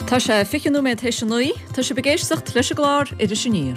Tá sé 20 nóiméad théis a 9. Tá sibh ag éisteacht leis an gclár Iris Aniar.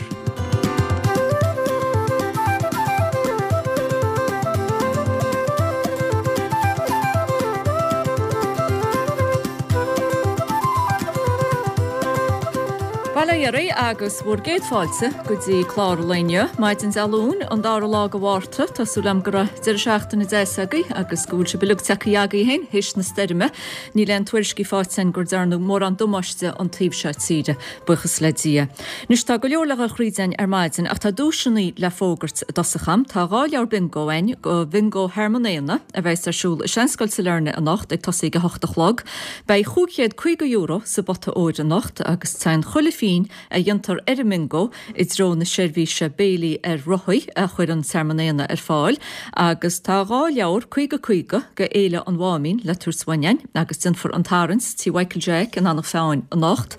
Bail ó Dhia oraibh agus bhur gcéad fáilte go dtí clár an lae inniu, maidin Dé Luain, an dara lá de Mhárta. Tá súil agam go raibh deireadh seachtaine deas agaibh agus go bhfuil sibh uilig tagtha agaibh féin théis na stoirme. Níl aon tuairiscí faighte againn gur dearnadh mórán damáiste an taobh seo tíre, buíochas le Dia. Anois tá go leor le dhul thríd againn ar maidin ach tá duaiseanna le fógairt i dtosach am. Tá 2 leabhar bingo againn do Bhingo Thearmann Éanna a bheas ar siúl i Seanscoil Sailearna anocht ag tosaí ag a hocht a chlog. Beidh €550 sa bpota óir anocht agus téann chuile phingin a dhéantar ar an mbingo i dtreo na seirbhíse béilí ar rothaí a chuireann Tearmann Éanna ar fáil agus tá 2 leabhar 50 50 go Fhéile an Mháimín le tabhairt uainn againn agus déanfar an tarraingt Tí Mhichael Jack in Eanach Mheáin anocht.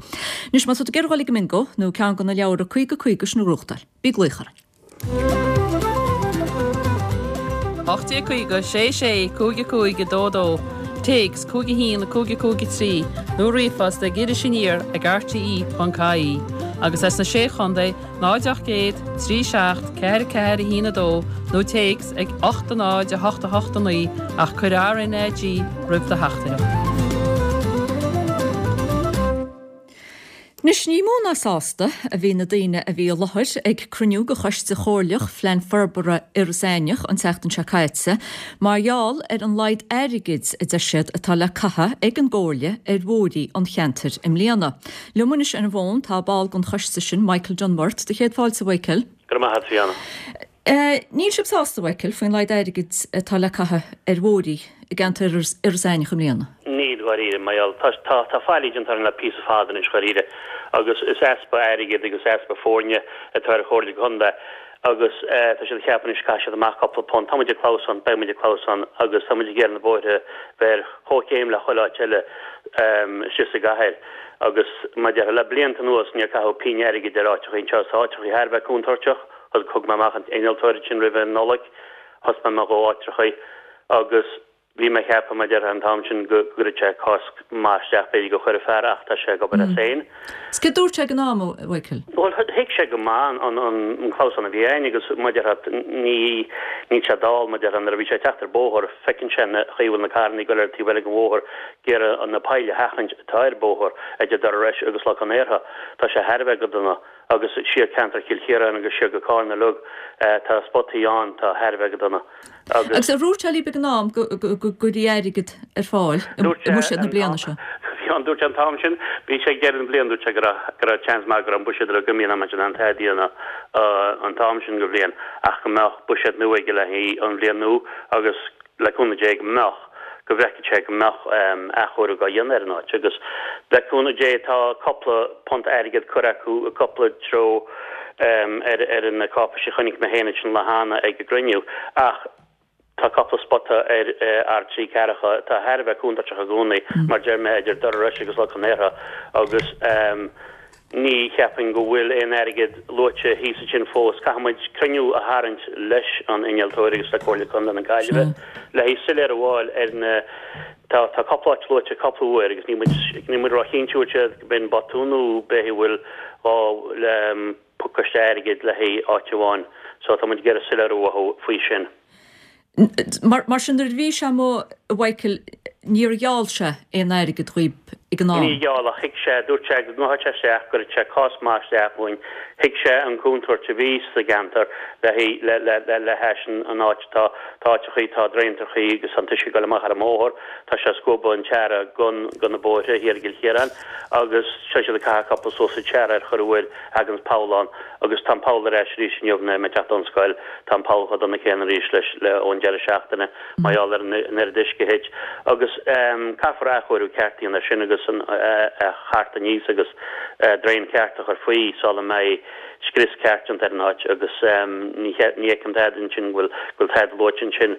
Anois má tá tú ag iarraidh dhul ag an mbingo nó ceann de na leabhra 50 50 sin a ghnóthachtáil, bí ag glaoch orainn. 1850 6 6 5 5 2 2, Téacs 5 1 5 5 3 nó ríomhphost ag irisaniar ag rte.ie agus as na Sé Chontae 0 800 3 7 4 4 1 2 nó téacs ag 8 0 8 8 9 ach cuir RnaG roimh do theachtaireacht. Anois ní mó ná sásta a bhí na daoine a bhí i láthair ag cruinniú de Choiste Chomhairleach Phlean Forbartha Iorras Aithneach an tseachtain seo caite mar gheall ar an laghad airgid a deir siad atá le caitheamh ag an gComhairle ar bhóithrí an cheantair i mbliana. Liom anois ar an bhfón tá ball den choiste sin, Michael Dunworth. Do chéad fáilte, a Mhichael. Go raibh maith agat, Fiona. Níl sibh sásta, a Mhichael, faoin laghad airgid atá le caitheamh ar bhóithrí i gceantar Iorras Aithneach i mbliana? Níl, dháiríre, mar gheall, tá, tá, tá faillí déanta orainn le píosa fada anois, dháiríre, agus is easpa airgid agus easpa foirne atá ar Chomhairle Contae agus tá siad ag ceapadh anois caithfidh siad amach cúpla punt. Tá muid ag clamhsán, beidh muid ag clamhsán agus tá muid ag iarraidh na bóithre bheith ar chomhchéim le chuile áit eile istigh sa gcathair agus mar a déarfá, le blianta anuas níor caitheadh pingin airgid ar áiteachaí anseo, tá áiteachaí thar a bheith contúirteach. Thug mé amach an t-innealtóir ansin roimh an Nollaig, thaispeáin mé dhó áitreachaí agus bhí mé ag ceapadh, mar a déarfá, an t-am sin go gcuirfeadh sé cosc maith isteach, b'fhéidir go chuirfeadh fear ach tá sé ag obair as féin. Is céard dúirt sé ag an am, a Mhichael? Bhuel, thuig sé go maith an clamhsán a bhí againn agus mar a déarfá, ní, níl sé dall, mar a déarfá, nuair a bhí sé ag teacht ar bóthar, feiceann sé an chaoi a bhfuil na carrannaí ag dul ar an taobh eile den bhóthar, ag iarraidh na poill a sheachaint atá ar an bóthar idir Doire Rois agus Loch an Iartha. Tá sé thar a bheith go dona. Agus siar ceantar Chill Chiaráin agus siar go Carna uilig, tá spotaí ann atá thar a bheith go dona. Agus. Agus ar dhúirt sé libh ag an am go gcuirfí airgead ar fáil i mbuiséad na bliana seo? Dúirt sé an t-am sin, bhí sé ag deireadh na bliana, dúirt sé go raibh, go raibh seans maith go raibh an buiséad uilig imithe in am an tada a dhéanamh an t-am sin go bhliain ach go mbeadh buiséad nua aige le haghaidh an bhliain nua agus le cúnamh Dé go mbeadh, go bhfeicfeadh sé go mbeadh athchóiriú á dhéanamh ar an áit agus le cúnamh Dé tá cupla punt airgid curtha acu i gcupla treo ar ar na cáipeisí a chonaic mé féin ansin lá cheana ag an gcruinniú ach tá cupla spota ar ár dtrí ceathracha atá thar a bheith contúirteach i gcónaí mar deir mé idir Doire Rois agus Loch an Iartha agus Ní cheapfainn go bhfuil aon airgead luaite thíos ansin fós. Caithfidh muid cruinniú a tharraingt leis an innealtóir agus le Comhairle Contae na Gaillimhe le haghaidh soiléiriú a fháil ar na Tá tá cúpla áit luaite cúpla uair agus níl muid níl muid róchinnte bhfuil siad go b'in botún nó b'fhéidir bhfuil gá le pacáiste airgid le haghaidh áit amháin. So tá muid ag iarraidh soiléiriú uathu faoi sin. Mar sin, nuair a bhí sé amuigh, a Mhichael, níor gheall sé aon airgead dhaoib ag an am? Níor gheall, ach thuig sé, dúirt sé go ngabhfadh sé isteach, go gcuirfeadh sé cás maith isteach dhúinn. Thuig sé an contúirt a bhí sa gceantar le le le le le hais an áit atá, tá áiteachaí, tá draentrachaí agus tá an t-uisce ag dul amach ar an mbóthar, tá sé ag scuabadh an tsearra gon go na bóithre thiar i gCill Chiaráin agus tá siad ag caitheamh cúpla suas an tsearra ar chor uair thaganns poll ann agus tá an poll ar ais arís inniu nuair mé ag teacht ón scoil, tá an poll chomh dona céanna arís leis le ón deireadh seachtaine mar gheall ar an oiread uisce a thit agus caithfear athchóiriú ceart a dhéanamh air sin agus an a chartadh aníos agus draein ceart a chur faoi sula mbeidh scrios ceart déanta ar an áit agus ní ní fheicim tada ansin go bhfuil go bhfuil tada luaite ansin.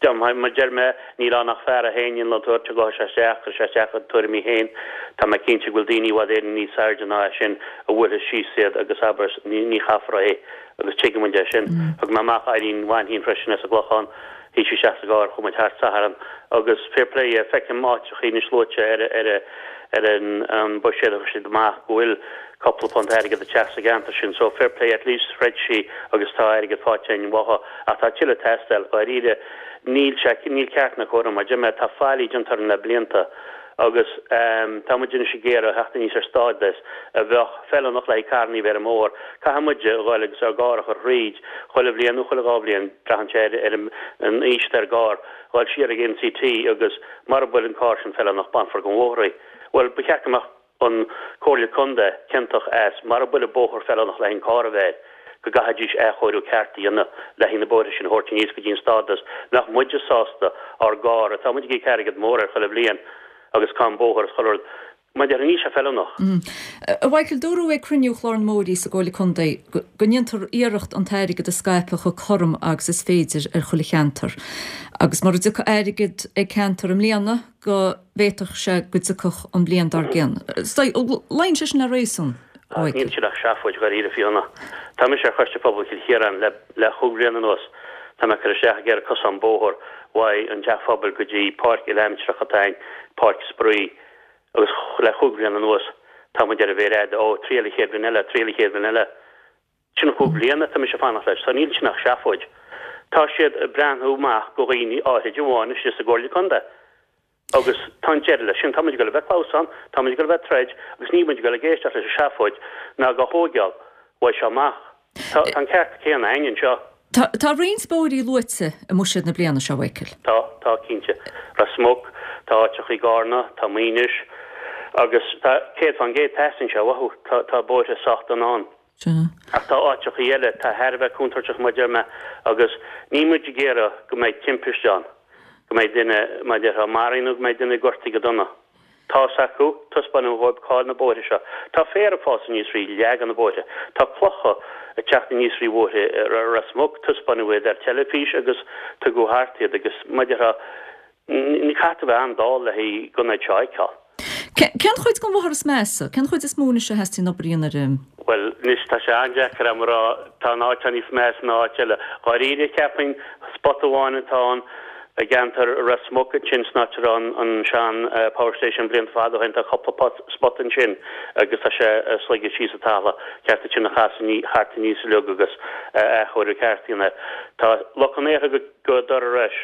Mar deir mé, níl ann ach fear é féin, innealtóir, gabhfaidh sé isteach, cuirfidh sé isteach a tuairimí féin. Tá mé cinnte go bhfuil daoine i bhfad Éireann níos airde ná é sin a bhuailfeas síos iad agus abair, ní chaithfear é agus tuigeann muid é sin. Thug mé amach Eileen Mhainchín freisin as an gClochán. Shuigh sí isteach sa gcarr, chuaigh muid thart Satharn agus fair play dhi, feicim áiteachaí anois luaite ar ar ar an buiséad a chuir siad amach go bhfuil cúpla punt airgead ag teacht sa gceantar sin so fair play at least throid sí agus tá airgead faighte againn uathu ach tá tuilleadh ag teastáil, dháiríre níl sé, níl ceart ná cóir ann mar deir mé tá faillí déanta orainn le blianta. Agus tá muid anois ag iarraidh theacht aníos ar stádas a bheadh feiliúnach le haghaidh carrannaí a bheith ar an mbóthar. Caithfidh muide a ghoil agus ár gcarr a chur thríd chuile bhliain nó chuile dhá bhliain, braitheann sé ar an aois atá ar an gcarr, ghoil siar ag NCT agus mara bhfuil an carr sin feiliúnach bainfear den bhóthar í. Bhuel, ba cheart go mbeadh an Comhairle Contae ciontach as mara bhfuil an bóthar feiliúnach le haghaidh an carr a bheith air, go gcaithfidís athchóiriú ceart a dhéanamh le haghaidh na bóithre sin a thabhairt aníos go dtí an stádas nach muide sásta ár gcarr, atá muid ag íoc airgead mór air chuile bhliain agus cáin bóthair is chuile rud, mar a déarfá níl sé feiliúnach. A Mhichael, dúradh ag cruinniú Chlár na mBóithrí sa gComhairle Contae go ndéantar iarracht an t-airgead a scaipeadh chomh cothrom agus is féidir ar chuile cheantar agus mura dtiocfaidh airgead ag ceantar i mbliana go bhféadfadh sé go dtiocfadh an bhliain dár gcionn. Luíonn sé sin le réasún, a Mhichael. Níl sin ach seafóid dháiríre, Fiona. Tá mise ar Choiste Pobail Chill Chiaráin le le chúig bhliana anuas. Tá mé ag cur isteach ag iarraidh cosán bóthair uaidh an teach phobail go dtí páirc uile-aimsireach atá ann, páirc spraoi, agus le chúig bhliana anuas tá muid ar an mhéar fhada, ó, triail an chéad bhliain eile, triail an chéad bhliain eile. Sin chúig bliana atá mise ag fanacht leis, so níl sin ach seafóid. Tá siad ag breathnú amach go dhaoine áithrid amháin istigh sa gComhairle Contae. Agus tá an deireadh leis sin. Tá muid ag dul a bheith ag clamhsán, tá muid ag dul a bheith ag troid agus níl muid ag dul ag éisteacht leis an seafóid ná dhá thóigeáil uaidh seo amach. Tá an ceart céanna againn anseo. Tá, tá roinnt bóithrí luaite i mbuiséad na bliana seo, a Mhichael. Tá, tá, cinnte. Ros Muc, tá áiteachaí i gCarna, tá Maínis agus tá 100% teastaíonn sé uathu, tá, tá bóithre sách dona ann. Sea. Ach tá áiteachaí eile atá thar a bheith contúirteach mar a deir mé agus níl muid ag iarraidh go mbeidh timpiste ann, go mbeidh duine, mar a déarfá, maraithe nó go mbeidh duine gortaithe go dona. Tá's acu, taispeánadh dhóibh cá'il na bóithre seo. Tá féar ag fás aníos thrí leath de na bóithre. Tá clocha ag teacht aníos thrí bhóithre Ros Muc, taispeánadh iad ar teilifís agus tugadh thart iad agus mar a déarfá, ní caithfidh tú a bheith an-dall le haghaidh an méid seo a fheiceáil. Cén chuid den bhóthar is measa? Cén chuid is mó anois a theastaíonn obair a dhéanamh air? Bhuel, anois tá sé an-deacair a'm a rá, tá an áit seo níos measa ná áit eile. Dháiríre, cheapfainn, spota amháin atá ann i gceantar Ros Muc ansin san áit a raibh an sean power station blianta fada ó shin, tá cúpla spota ansin agus tá sé ag sloigeadh síos an talamh, ceart iad sin a chasadh thart aníos uilig agus athchóiriú ceart a dhéanamh air. Tá Loch an Iarthair go Doire Rois.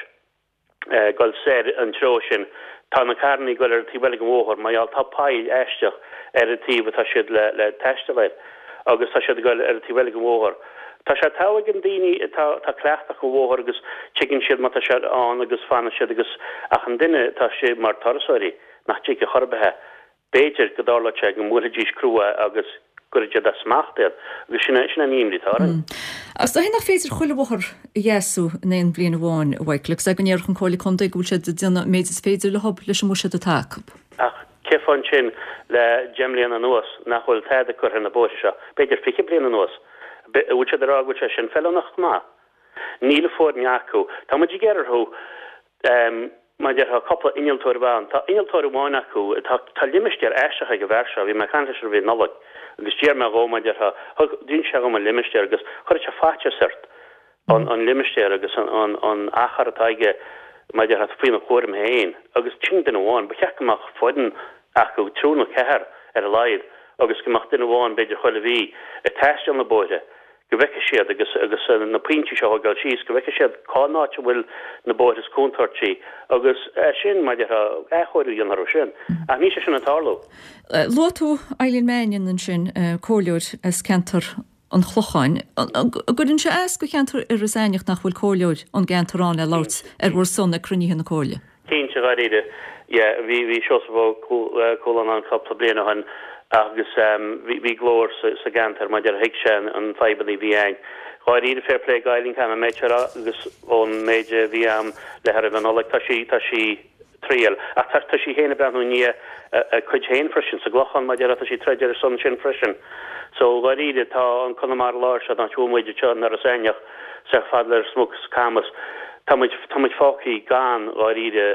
goil soir an treo sin. Tá na carrannaí ag goil ar an taobh eile den bhóthar mar gheall tá poill aisteach ar an taobh atá siad le le taisteal air agus tá siad ag goil ar an taobh eile den bhóthar. Tá sé togha ag an daoine atá tá cleachtadh acu an bhóthar agus tuigeann siad má tá sé ann agus fanann siad agus ach an duine atá istigh mar turasóirí nach dtuigfidh chor ar bith é. B'fhéidir go dtarlódh sé go mbuailfidís crua agus go gcuirfidh siad as smacht iad, agus sin é an imní atá orainn. Ach is dóigh nach féidir chuile bhóthar a dheasú in aon bhliain amháin, a Mhichael, agus é go ndéarfadh an Comhairle Contae go bhfuil siad ag déanamh an méid is féidir leo leis an mbuiséad atá acu. Ach cén fáth ansin le deich mbliana anuas nach bhfuil tada curtha ar na bóithre seo, b'fhéidir 20 bliain anuas? An bhfuil siad ag rá go bhfuil sé sin feiliúnach go maith? Níl foirne acu. Tá muid ag iarraidh orthu Mar a déarfá, cúpla innealtóir a bheith ann. Tá innealtóir amháin acu. Tá, tá limistéar aisteach ag an bhfear seo. Bhí mé ag caint leis roimh an Nollaig agus d'iarr mé dhó, mar a déarfá, thug, d'inis sé dhom an limistéar agus chuirfeadh sé faitíos ort an, an limistéar agus an, an, an achar atá aige, mar a déarfá, faoina chúram féin. Agus sin duine amháin. Ba cheart go mbeadh foireann acu, triúr nó ceathrar ar a laghad, agus go mbeadh duine amháin, b'fhéidir chuile mhí, ag taisteal na bóithre. go bhfeicfidh siad, agus agus na pointí seo a thógáil síos, go bhfeicfidh siad cá n-áit a bhfuil na bóithre is contúirtí agus é sin, mar a déarfá, athchóiriú a dhéanamh orthu sin. Ach níl sé sin ag tarlú. Luaigh tú Eileen Mannion ansin, comhairleoir as ceantar an Chlocháin. An gcuireann sé as do cheantar Iorras Aithneach nach bhfuil comhairleoir ón gceantar ann le labhairt ar bhur son ag cruinnithe na comhairle? Cinnte, dháiríre. Yeah, bhí, bhí Seosamh Ó Cualáin ann cúpla bliain ó shin agus bhí, bhí glór sa, sa gceantar mar a déarfá thuig sé an, an fadhbanna a bhí ann. Dháiríre, fair play d'Eileen, caithfidh mé an méid seo a rá agus ón méid a bhí a'm léi roimh an Nollaig, tá sí, tá sí ag triail. Ach tá, tá sí féin ag breathnú i ndiaidh a, a cuid féin freisin sa gClochán, mar a déarfá, tá sí ag troid ar a son sin freisin. So, dháiríre, tá an Conamara Láir seo, an áit a bhfuil muid anseo in Iorras Aithneach, Sách fada le Ros Muc is Camas. Tá muid, tá muid fágthaí gan, dháiríre,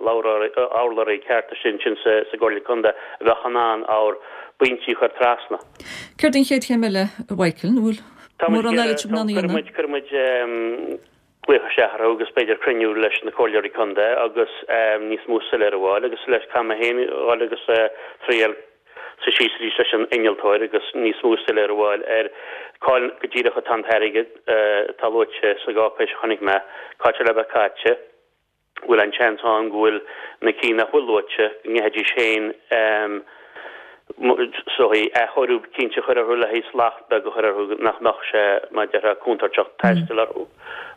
urlabhraí ceart istigh ansin sa, sa gComhairle Contae a bheadh in ann ár bpointí a chur trasna. Céard an chéad chéim eile, a Mhichael? An bhfuil Tá muid mórán ag eile sibh in ann a iarraidh, dhéanamh? cuirfidh muid, cuirfidh muid. Glaoch isteach orthu agus b'fhéidir cruinniú leis na comhairleoirí contae agus níos mó soiléiriú a fháil agus leis caithfidh mé féin dhul agus triail suí síos arís leis an innealtóir agus níos mó soiléiriú a fháil ar cáil go díreach atá an t-airgead atá luaite sa gcáipéis a chonaic mé, cá bhfuil sé le bheith caite. bhfuil an seans ann go bhfuil na cinn nach bhfuil luaite, go ngeithfidís féin is dóigh, athchóiriú cinnte a chur orthu le haghaidh slacht beag a chur orthu nach mbeadh sé, mar a déarfá, contúirteach taisteal orthu.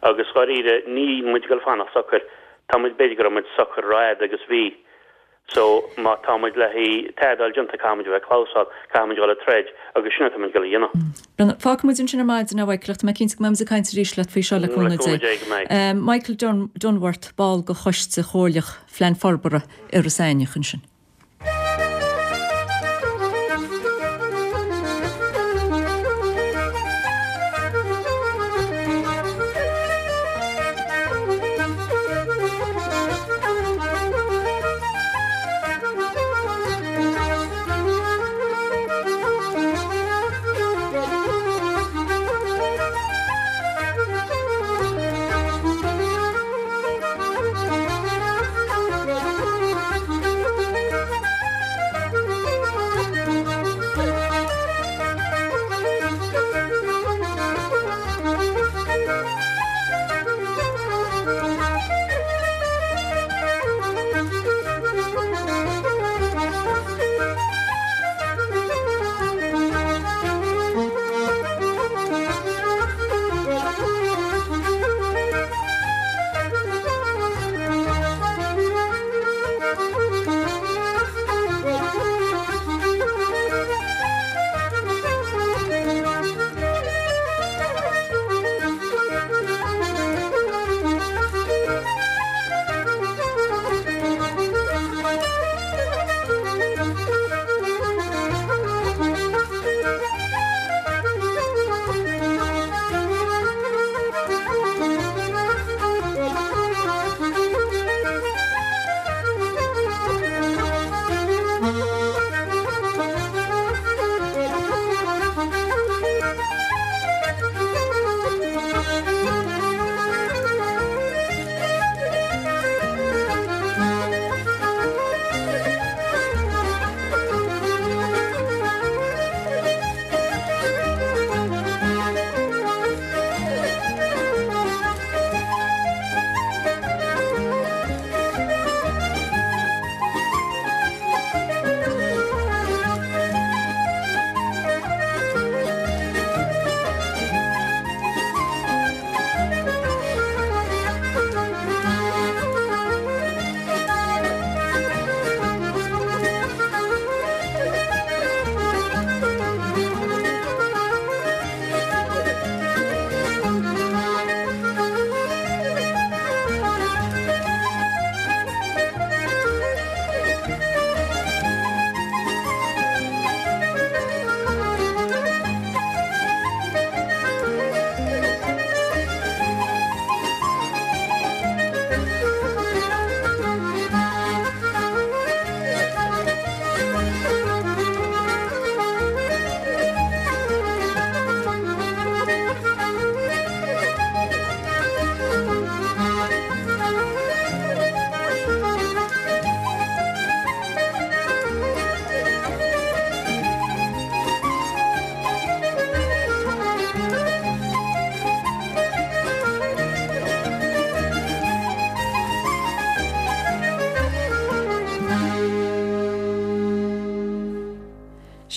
Agus dháiríre, níl muid ag dul fanacht socair. Tá muid, b'fhéidir go raibh muid socair rófhada agus bhí. So, má tá muid le haghaidh tada a fháil déanta, caithfidh muid a bheith ag clamhsán, caithfidh muid a dhul ag troid agus sin atá muid ag dul a dhéanamh. Brendan, fágfaidh muid ansin ar maidin, a Mhichael, ach tá mé cinnte go mbeidh muid ag caint arís leat faoi seo le cúnamh Dé. Dé go mbeidh. Michael Dunworth, ball de Choiste Chomhairleach Phlean Forbartha Iorras Aithneach ansin.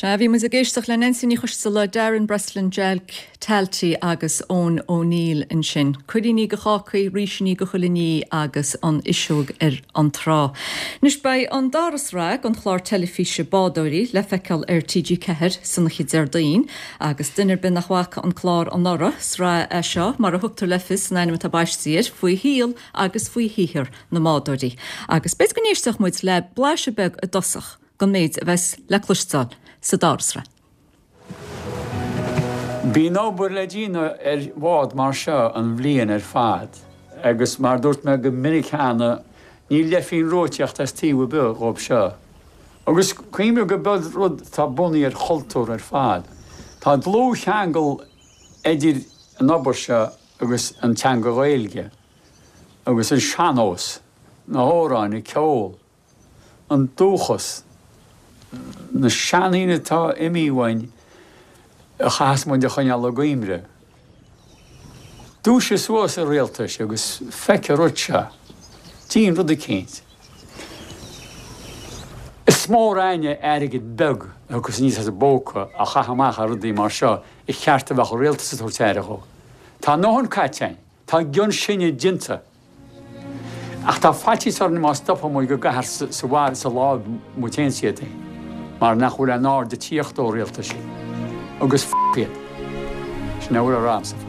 Sea, bhí muid ag éisteacht le Neansaí Ní Choisdealbha, Darren Breslin, Jack Talty agus Eoin O'Neill ansin. Cuiríní do chácaí, rísíní do chuile ní agus an fhuiseog ar an trá. Anois beidh an dara sraith den chlár teilifíse Bádóirí le feiceáil ar TG4 san oíche Déardaoin agus duine ar bith nach bhfaca an clár anuraidh, sraith é seo, mar a thugtar le fios san ainm atá baiste air, faoi shaol agus faoi shaothar na mbádóirí. Agus b'fhéidir go n-éistfeadh muid le blaiseadh beag i dtosach den méid a bheas le cloisteáil sa dara sraith. Bíonn obair le déanamh ar bhád mar seo an bhliain ar fad agus mar a dúirt mé go minic cheana, ní leithphingin reoitíocht as taobh ar bith dhóibh seo. Agus cuimhnigh go b'eod rud atá bunaithe ar chultúr ar fad. Tá dlúthcheangal idir an obair seo. agus an teanga Ghaeilge agus an sean-nós, na hamhráin, an ceol, an dúchas, na seandaoine atá imithe uainn a chaithfeas muid a choinneáil i gcuimhne. Dúisigh suas a rialtais agus feic an rud seo. Déan rud eicínt. Is mór againne airgead beag a thiocfas aníos as an bpóca a chaitheamh amach ar rudaí mar seo ar cheart a bheadh an rialtas ag tabhairt aire dhó. Tá a ndóthain caite againn. Tá a gcion sinne déanta. Ach tá faitíos orainn má stopann muid go gcaithfear sa bhaile sa láib muid féin is iad féin mar nach bhfuil aon aird ag tíocht ó rialtais agus f iad. Sin a bhfuil a rá agamsa faoi.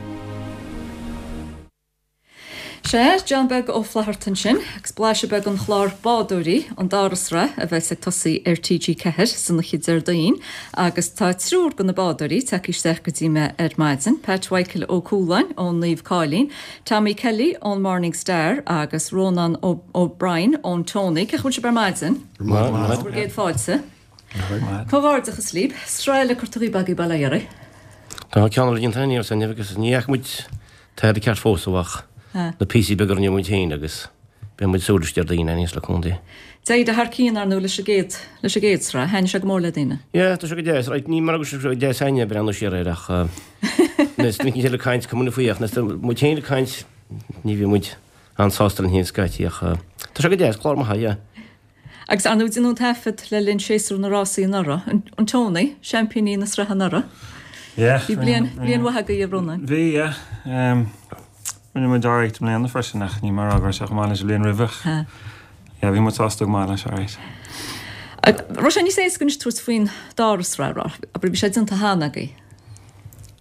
Sea, John Beag Ó Flatharta ansin, agus blaiseadh beag den chlár Bádóirí, an dara sraith a bheas ag tosaí ar TG4 san oíche Déardaoin, agus tá triúr de na bádóirí tagtha isteach go dtí mé ar maidin, Pat Mhichael Ó Cualáin ón Naomh Cáilín, Tommy Kelly ón Morning Star agus Rónán O'Brien ón Tony. Cén chaoi a bhfuil sibh ar maidin? Maith. Bhur gcéad fáilte. Comhghairdeachas libh. Sraith eile curtha dhaoibh agaibh bail ó Dhia oraibh. Tá ceann eile déanta againn arsa Niamh agus ní fhaca muid tada ceart fós ach na píosaí beaga a rinne muid féin agus beidh muid ag súil leis Déardaoin aníos le cúnamh Dé. D'éirigh thar cionn ar ndóigh leis an gcéad, leis an gcéad sraith. Thaitnigh sé go mór le daoine. Yeah, tá sé go deas. Right, ní mar go sé go deas againne breathnú siar air ach nuair is duine eile ag caint cuma faoi ach nuair is muid féin ag caint ní bhíonn muid an-sásta linn féin scaití ach tá sé go deas, clár maith, yeah. Agus ar ndóigh déanadh an taifead le linn séasúr na rásaí anuraidh. An Tony, seaimpíní na sraithe anuraidh. Yeah. Bhí bliain, bliain mhaith agaibh a Rónáin. Bhí, yeah. Rinne muid alright i mbliana freisin ach ní mar a raibh sé chomh maith leis an bhliain roimhe. Yeah, bhí muid sásta go maith leis, alright. Raibh sé níos éasca anois tabhairt faoin dara sraith, raibh? Abair, bhí sé déanta cheana agaibh.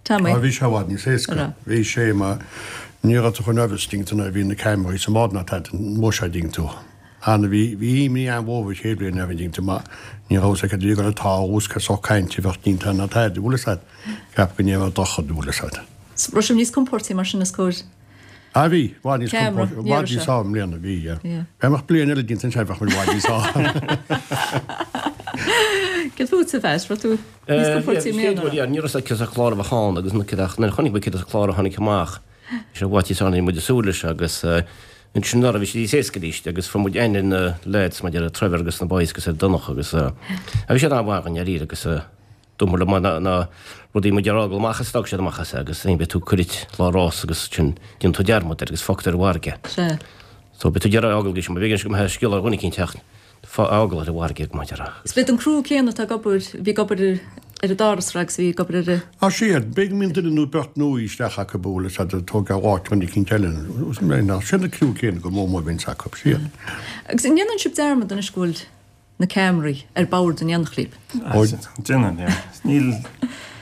Tommy. Á, bhí sé i bhfad níos éasca. Bhí sé mar ní raibh tú chomh nervous dtuigeann tú nuair a bhí na ceamaraí sa mbád ná tada, an mó sé dtuigeann tú. Ann bhí, bhí imní an-mhór an chéad bhliain air dtuigeann tú mar ní raibh fhios aige cad a bhí ag dul a tarlú is cén sórt cainte a bheadh déanta ná tada, bhfuil fhios a'd. Cheap go ndéanfadh droch-rud, bhfuil fhios a'd. Raibh sibh níos compóirtí mar sin is cóir. Ah bhí, i bhfad níos Ceamara, compóirtí, i ní bhfad raibh níos sé. fearr i mbliana, bhí, yeah. Yeah. Dá mbeadh bliain eile déanta ansin bheadh muid i bhfad níos fearr. Céard fútsa, a Phat, raibh tú níos compóirtí i mbliana, raibh? Yeah, ní raibh fhios a'd cén sórt clár a bheadh ann agus na céad ach nuair a chonaic muid cén sórt clár a tháinig amach, bhí sé i bhfad níos fearr ná bhí muid ag súil leis agus ansin anuraidh bhí sé níos éasca arís agus fuair muid aithne ar na lads maidir le Trevor agus na boys agus ar Donncha agus bhí siad an-mhaith i ndáiríre agus Dúirt le na na rudaí muid ar fhágáil amach as d'fhág siad amach as é agus beidh tú cuirit lá rás agus sin déanann tú dearmad air agus fágtar ar an bhfarraige. Sea. So beidh tú ag iarraidh fhágáil go b'éigean go mbeadh scéal ar dhuine eicínt ach fágáil ar an bhfarraige go maith ar. Is b'iad an criú céanna atá ag obair, bhí ag obair ar an dara sraith agus bhí ag obair ar an. Á sea, b'fhéidir go mbíonn duine nó beirt nua isteach acu bhfuil fhios a'd ag tógáil áit dhuine eicínt eile. Sin an criú céanna go mór mór a bhíonns acu, sea. Agus an ndéanann sibh dearmad anois go bhfuil na ceamaraí ar bord in éineacht libh. Déanann, yeah. Níl,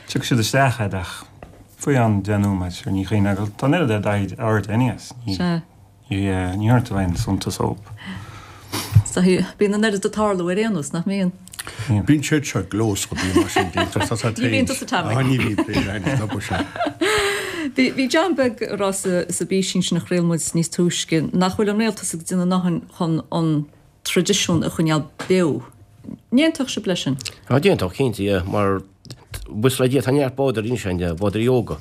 tiocfaidh siad isteach a'd ach faoi am 10 nóiméad, sure, ní chuimhneoidh go, tá an oiread aird ort anyways. Ní, Sea. ní, ní thabharfaidh tú aon suntas dóibh. So, bíonn an oiread ag tarlú ar aon nós, nach mbíonn? Bíonn. Bíonn siad seo gleosach bíonn mar sin déanta sa sa Ní bhíonn tusa Tommy. Ah, ní bhíonn pé ar an sin. Bhí, bhí John Beag ag rá sa, sa bpísín sin a chraol muid níos túisce nach bhfuil an rialtas ag déanamh a ndóthain chun an traidisiún a choinneáil beo. An aontódh sibh leis sin? Á, d'aontódh, cinnte, yeah, mar buíochas le Dia tá neart bádóirí anois ann, bádóirí óga.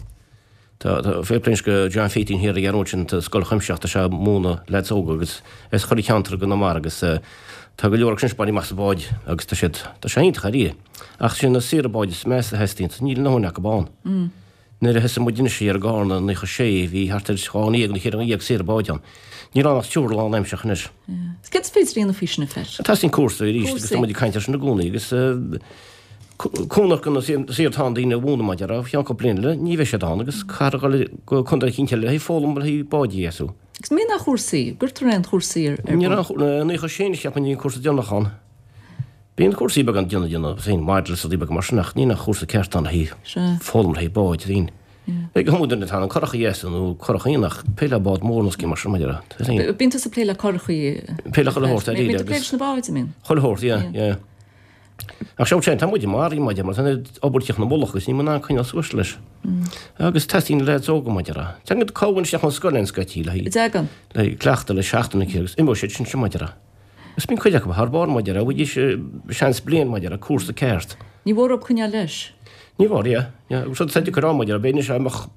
Tá, tá, fair play go John Pheaitín thiar ag an sin, tá scoil chuimsitheach, tá sé ag múineadh leaids óga agus as chuile cheantar i gConamara agus tá go leor acu sin ag baint amach sa bád agus tá siad, tá sé iontach dáiríre. Ach sin na saoire báid is measa a theastaíonn, níl a ndóthain acu ann. Nuair a thosaigh muid anois thiar i gCarna i 96 bhí thart ar 12 nó 14 saoire báid ann. Níl ann ach triúr lánaimsearach anois. Céard is féidir a dhéanamh faoi sin, a Pheait? Teastaíonn cúrsaí arís agus tá muid ag caint air sin i gcónaí agus cúnamh do na saoir atá ann daoine a mhúineadh maidir le ceann cúpla bliain eile ní bheidh siad ann agus caithfear a dhul go contae eicínt eile le haghaidh foghlaim le haghaidh báid a dheasú. Agus an mbíonn aon chúrsaí, gcuirtear aon chúrsaí ar bun? Ní raibh aon, 96 cheapfainn bhí an cúrsa deireanach ann. Bíonn cúrsaí beaga ann déanamh déanamh féin maidir le rudaí beaga mar sin ach níl aon chúrsa ceart ann le haghaidh foghlaim le haghaidh báid féin. Beidh go hiomlán duine atá in ann curach a dheasú nó curach aon ach plé le bád mór nó scéim mar sin maidir le féin. Bíonn tusa ag plé le curachaí. Plé le chuile shórt ar Bíonn tú ag plé leis na báid, an mbíonn? Chuile shórt, yeah, yeah. Ach seo tá muid maraithe maidir mar tá an obair ag tíocht ina mullach agus níl muid in ann coinneáil suas leis. Agus teastaíonn leaids óga maidir le. Tagann cabhair isteach ón scoil ann scaití le haghaidh le haghaidh cleachtadh le seachtain agus imeoidh siad sin seo maidir le. Agus bíonn cuid acu thar barr maidir le, bhfaighidís seans bliain maidir le cúrsa ceart. Ní mhór dóibh coinneáil leis. Ní mhór, yeah. Yeah. Agus rud atá deacair ann maidir le, b'fhéidir anois dá mbeadh.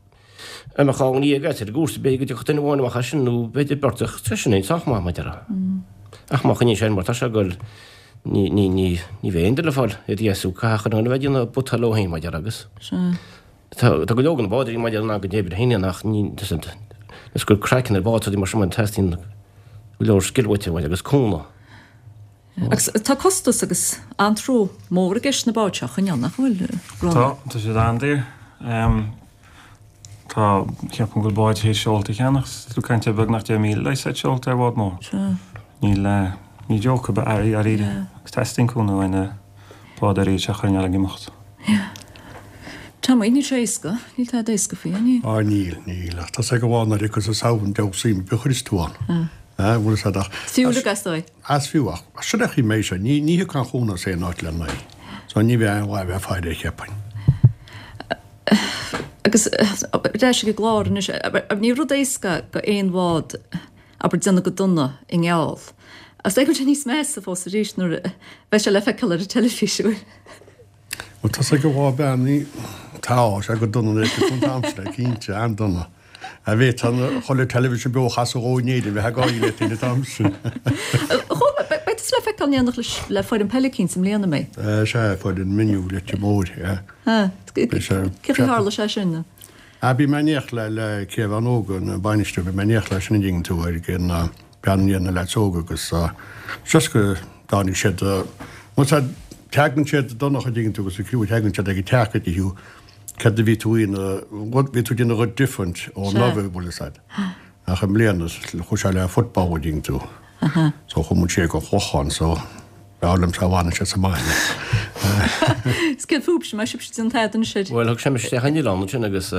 Dá mbeadh ghné agat ar an gcúrsa, b'fhéidir go dtiocfadh duine amháin amach as sin nó b'fhéidir beirt ach tá sin sách maith mar a déarfá. Ach má choinníonn sé air mar tá sé ag goil, ní, ní, ní, ní bheidh aon duine le fáil iad a dheasú, caithfidh chuile dhuine a bheith ag déanamh buta leo féin mar a déarfá agus. Sea. Tá, tá go leor de na bádóirí mar a déarfá in ann go n-oibre féin ach ní, is gur craiceann ar bhád rudaí mar sin mar teastaíonn go leor scil uait agus cúnamh. Agus tá costas agus antró mór i gceist na báid seo a choinneáil, nach bhfuil, Rónán? Tá, tá siad an-daor. Tá, ceapaim go bhfuil báid théis seolta a cheannach, tá tú ag caint ar beagnach 10,000 le seit seolta ar bhád mór. Sea. Níl, ní joke ab ea é dáiríre. Agus teastaíonn cúnamh uainn na bádóirí seo a choinneáil ag imeacht. Yeah. Tommy, níl sé éasca, níl tada éasca faoi, níl? Á níl, níl, ach tá sé go bhfáth nuair a thiocfas an samhradh deabhadh suim ar bith a chuireas tú ann. Ah. Bhfuil a fhios agat ach. Fiú le gastáil. As fiú ach sin é chaoi mbeidh sé, ní ní thiocfaidh aon chúnamh as aon áit lena aghaidh. So ní bheidh aon mhaith a bheith ag faire air cheapfainn. Agus ar ais ag an gclár anois, ní rud éasca go aon bhád abair déanamh go dona i ngeall. Is dóigh go bhfuil sé níos measa fós arís nuair a bheidh sé le feiceáil ar an teilifís, an bhfuil? Bhuel tá sé go bhfá beannaí, tá sé go dona nuair a fheicfidh tú an t-am sin é, cinnte, an-dona. A bheith an chuile television beo a chasadh dhó in Éirinn, bheith ag gáirí leat féin an t-am sin. Chomh, beidh tusa le feiceáil in éineacht leis, le foireann peile eicínt i mbliana, an mbeidh? Sea, foireann Miniú Leitir Móir, yeah. Ah, cé chaoi tharla sé sin? Ah, bhí mé in éineacht le, le Caomhán Óg, an bainisteoir, bhí mé in éineacht leis an dtuigeann tú, ar an bean na leaids óga agus just go dtáinig siad, bhuel sea, teagann siad Donncha an dtuigeann tú agus an criú, teagann siad ag an teach go dtí thú, céard a bhí tú ina, bhí tú ag déanamh rud different ó anuraidh, bhfuil fhios a'd. Ach i mbliana, chuaigh sé le football an dtuigeann tú. So chuaigh muid siar go Clochán, so b'fhearr liom sá bhfanann sé sa mbaile. Is céard fúibhse, má sibhse déanamh tada anois air? Bhuel, thug sé mise isteach an oileán ansin agus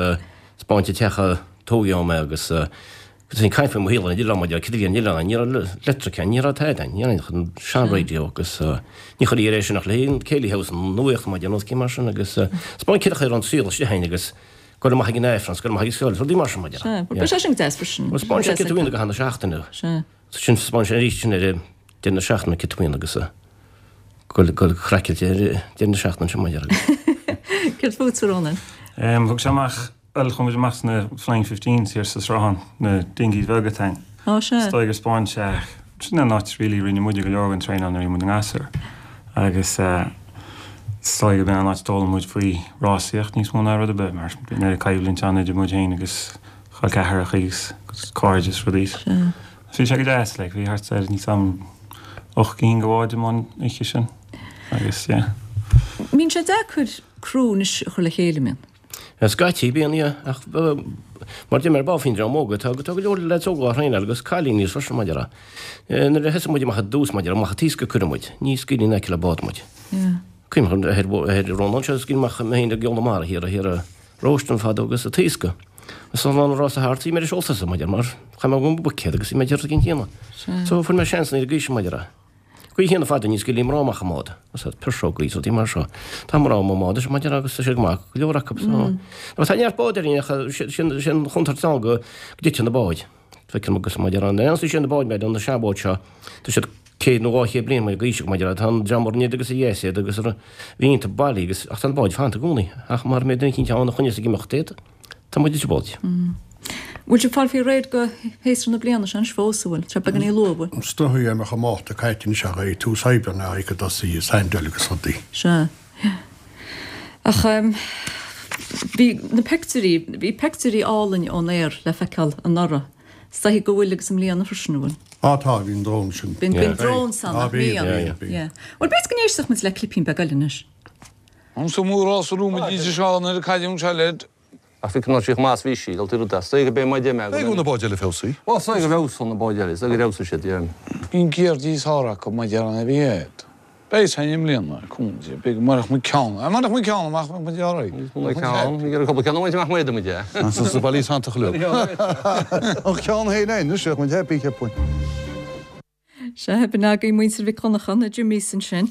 'spáint an teach a tógadh ann mé agus Agus bhí caint faoi mo shaol ar an oileán maidir le cad a bhí ar an oileán, ní raibh leictreach ann, ní raibh tada ann, ní raibh ach an sean-raidió agus ní chuirtí air é sin ach le haghaidh an Céilí House, an nuaíocht maidir le nós mar sin agus 'spáint cad é a raibh an saol istigh ann agus goil amach ag an Aifreann, goil amach ag an scoil, rudaí mar sin maidir. Sea, bhuel beidh sé sin go deas freisin. Bhuel 'spáin sé cad a bhíonn ag an seachtaine. Sea. Sin 'spáin sé arís sin ar deireadh na seachtaine cad a bhíonn agus goil goil craiceáilte ar deireadh na seachtaine sin maidir. Céard fútsa, Rónán? Thug sé amach Bhuel, chuaigh muid amach sna Flying Fifteens thiar sa Sruthán, na dinghies bheaga atá ann. Ó, sea. Is dóigh gur 'spáin sé, sin an áit really rinne muide go leor den traenáil nuair a bhí muid ina ngasúir. Agus eh, is dóigh gurb in an áit a d'fhoghlaim muid faoi rásaíocht níos mó ná rud ar bith, mar bhí an oiread coimhlint ann idir muid féin agus col ceathracha agus cairde is rudaí. Sea. Bhí sé go deas, like, bhí thart ar, níl 's a'm, 8 gcinn de bháid amuigh an oíche sin. Agus, yeah. Mbíonn sé deacair criú anois a chur le chéile, an mbíonn? Scaití bíonn, yeah, ach mar deir mé ar ball faoin dream óg, tá go leor leaids óga á thraenáil agus cailíní freisin mar a déarfá. Nuair a thosaigh muid amach i dtús mar a déarfá, amach an t-iasc a cuireadh muid, ní scaoiltí in aice le bád muid. Cuimhin liom ar Rónán seo, scaoil amach mé féin ag Eola Mara thiar, thiar i Róistin fadó agus an t-iasc. Agus an lá an rása thart, bhí mé ar an seolta mar a déarfá, mar chaith mé mo bhuicéad agus bhí mé ag déanamh cinn chéanna. So fuair mé seans ar an gcaoi sin mar a déarfá. Caoi chéanna fadó ní scaoiltí mná amach i mbád, is iad piseogaí is rudaí mar seo. Tá mná amuigh i mbád anois mar a déarfá agus tá siad go maith, go leor acu. So, tá neart bád ar ach sin an chontúirt ann go dtiteann na báid. Feicim agus mar a déarfá, an sin na báid mar na seanbháid seo, tá siad 100 nó 200 bliain mar d'aois mar a déarfá, tá an dream a rinne iad agus a dheis iad agus a bhí iontu bailí agus ach tá na báid fanta i gcónaí ach mara mbeidh duine eicínt ann a choinneos ag imeacht iad. Tá muid i dtrioblóid. Bhfuil sibh ag fáil faoi réir go shéasúr na bliana seo anois fós, an bhfuil? Tá sé beagáinín luath, an bhfuil? Is dóigh go mbeadh an Márta caite anois ach é tús Aibreán a ag tosaí i Saindel agus rudaí. Sea. Ach bhí na peictiúirí, bhí peictiúirí álainn ón aer le feiceáil anuraidh. Is dóigh go bhfuil agus i mbliana freisin, an bhfuil? Á tá, bhí an drón sin. Bhí an drón san, nach mbíonn? Bíonn, bíonn. Bhuel, b'fhéidir go n-éistfeadh muid le clipín beag eile anois. An sa mhórás a raibh muid anseo nuair a cailleadh anseo le. Ach bhí cineál sí chomh maith is bhí sí, dul rud as. Is dóigh go mbeidh mé. Beidh na báid eile feabhsaithe. Bhuel, is dóigh go bhfeabhsóidh na báid eile, is dóigh gur fheabhsaigh siad, yeah. Bhí an ceird níos fearr acu mar deir an a bhí agat. Beidh san i mbliana, cúnamh Dé, beidh murach muid ceann, murach muid ceann amach bheadh muid ar aghaidh. Bheadh ceann, bhí cúpla ceann amach amach muid, yeah. Sa bhaile santach leo. An ceann féin anois, bheadh muid happy, cheapfainn. Sea, b'in agaibh muintir Mhic Dhonncha, na Jimmies ansin.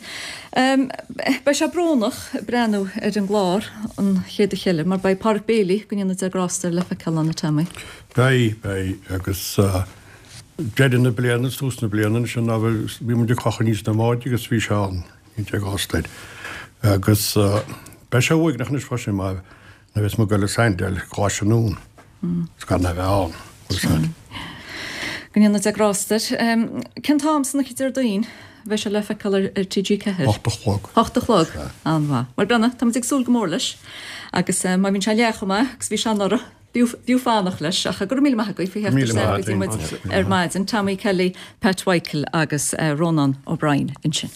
Beidh sé brónach breathnú ar an gclár an chéad oíche eile mar beidh Pádraic Bailey, go ndéana Dia grásta air, le feiceáil ann, a Tommy. Beidh, beidh, agus deireadh na bliana is tús na bliana ansin ná bhí muid ag crochadh aníos na mbáid agus bhí sé ann, go ndéana Dia grásta air. Agus beidh sé uaigneach anois freisin mar nuair a bheas muid ag dul go Saindel, Glas anonn. Is gan a bheith ann. Bhfuil a fhios agat. Go ndéana Dia grásta air. Cén t-am san oíche Déardaoin a bheidh sé le feiceáil ar TG4? 8 a chlog. 8 a chlog. An-mhaith. Bhuel, Brenna, táimid ag súil go mór leis agus má bhíonn sé leath chomh maith agus bhí sé anuraidh, b'fhiú fanacht leis. Ach go raibh míle maith agaibh faoi theacht isteach go dtí muid ar maidin. Tommy Kelly, Pat Mhichael agus Rónán O'Brien ansin.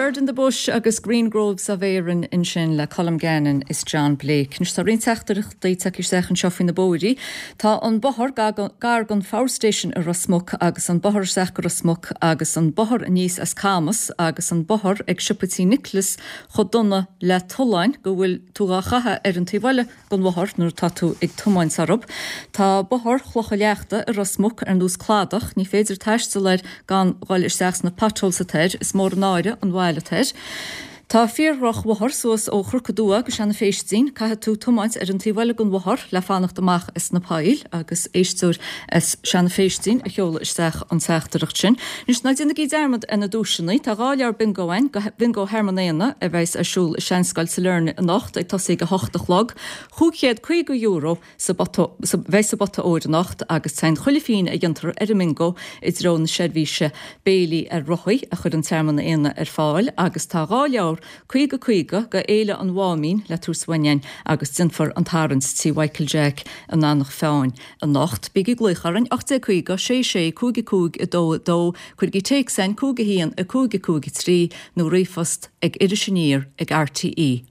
Bird in the Bush agus Green Groves of Erin ansin le Colm Gannon is John Blake. Anois tá roinnt teachtaireachtaí tagtha isteach anseo faoi na bóithrí. Tá an bothar gar don Phower Station i Ros Muc agus an bothar isteach go Ros Muc agus an bothar aníos as Camas agus an bothar ag siopa Tí Nicholas chomh dona le tolláin go bhfuil tú dhá chaitheamh ar an taobh eile den bhothar nuair atá tú ag tiomáint orthu. Tá Bothar Chlocha Leachta i Ros Muc ar nós cladach, ní féidir taisteal air gan dhul isteach sna potholes atá air, is mór an náire an bhail atá air. Tá fíor-dhroch bhothar suas ó Chnoc an Dua go Seanadh Phéistín, caithfidh tú tiomáint ar an taobh eile den bhothar le fanacht amach as na poill agus éisteoir as Seanadh Phéistín a sheol isteach an teachtaireacht sin. Anois ná déanaigí dearmad ar na duaiseanna, tá 2 leabhar bingo againn go Bingo Thearmann Éanna a bheas ar siúl i Seanscoil Sailearna anocht ag tosaí ag a hocht a chlog. €550 sa bpota a bheidh sa bpota óir anocht agus téann chuile phingin a dhéantar ar an mbingo i dtreo na seirbhíse béilí ar rothaí a chuireann Tearmann Éanna ar fáil agus tá 2 leabhar 50 50 go Fhéile an Mháimín le tabhairt uainn againn agus déanfar an tarraingt tí Mhichael Jack in Eanach Mheáin anocht. Bígí ag glaoch orainn, 1850 66 55 2 2, cuirigí téacs chugainn 5 1 5 5 3 nó ríomhphost ag irisaniar ag rte.ie.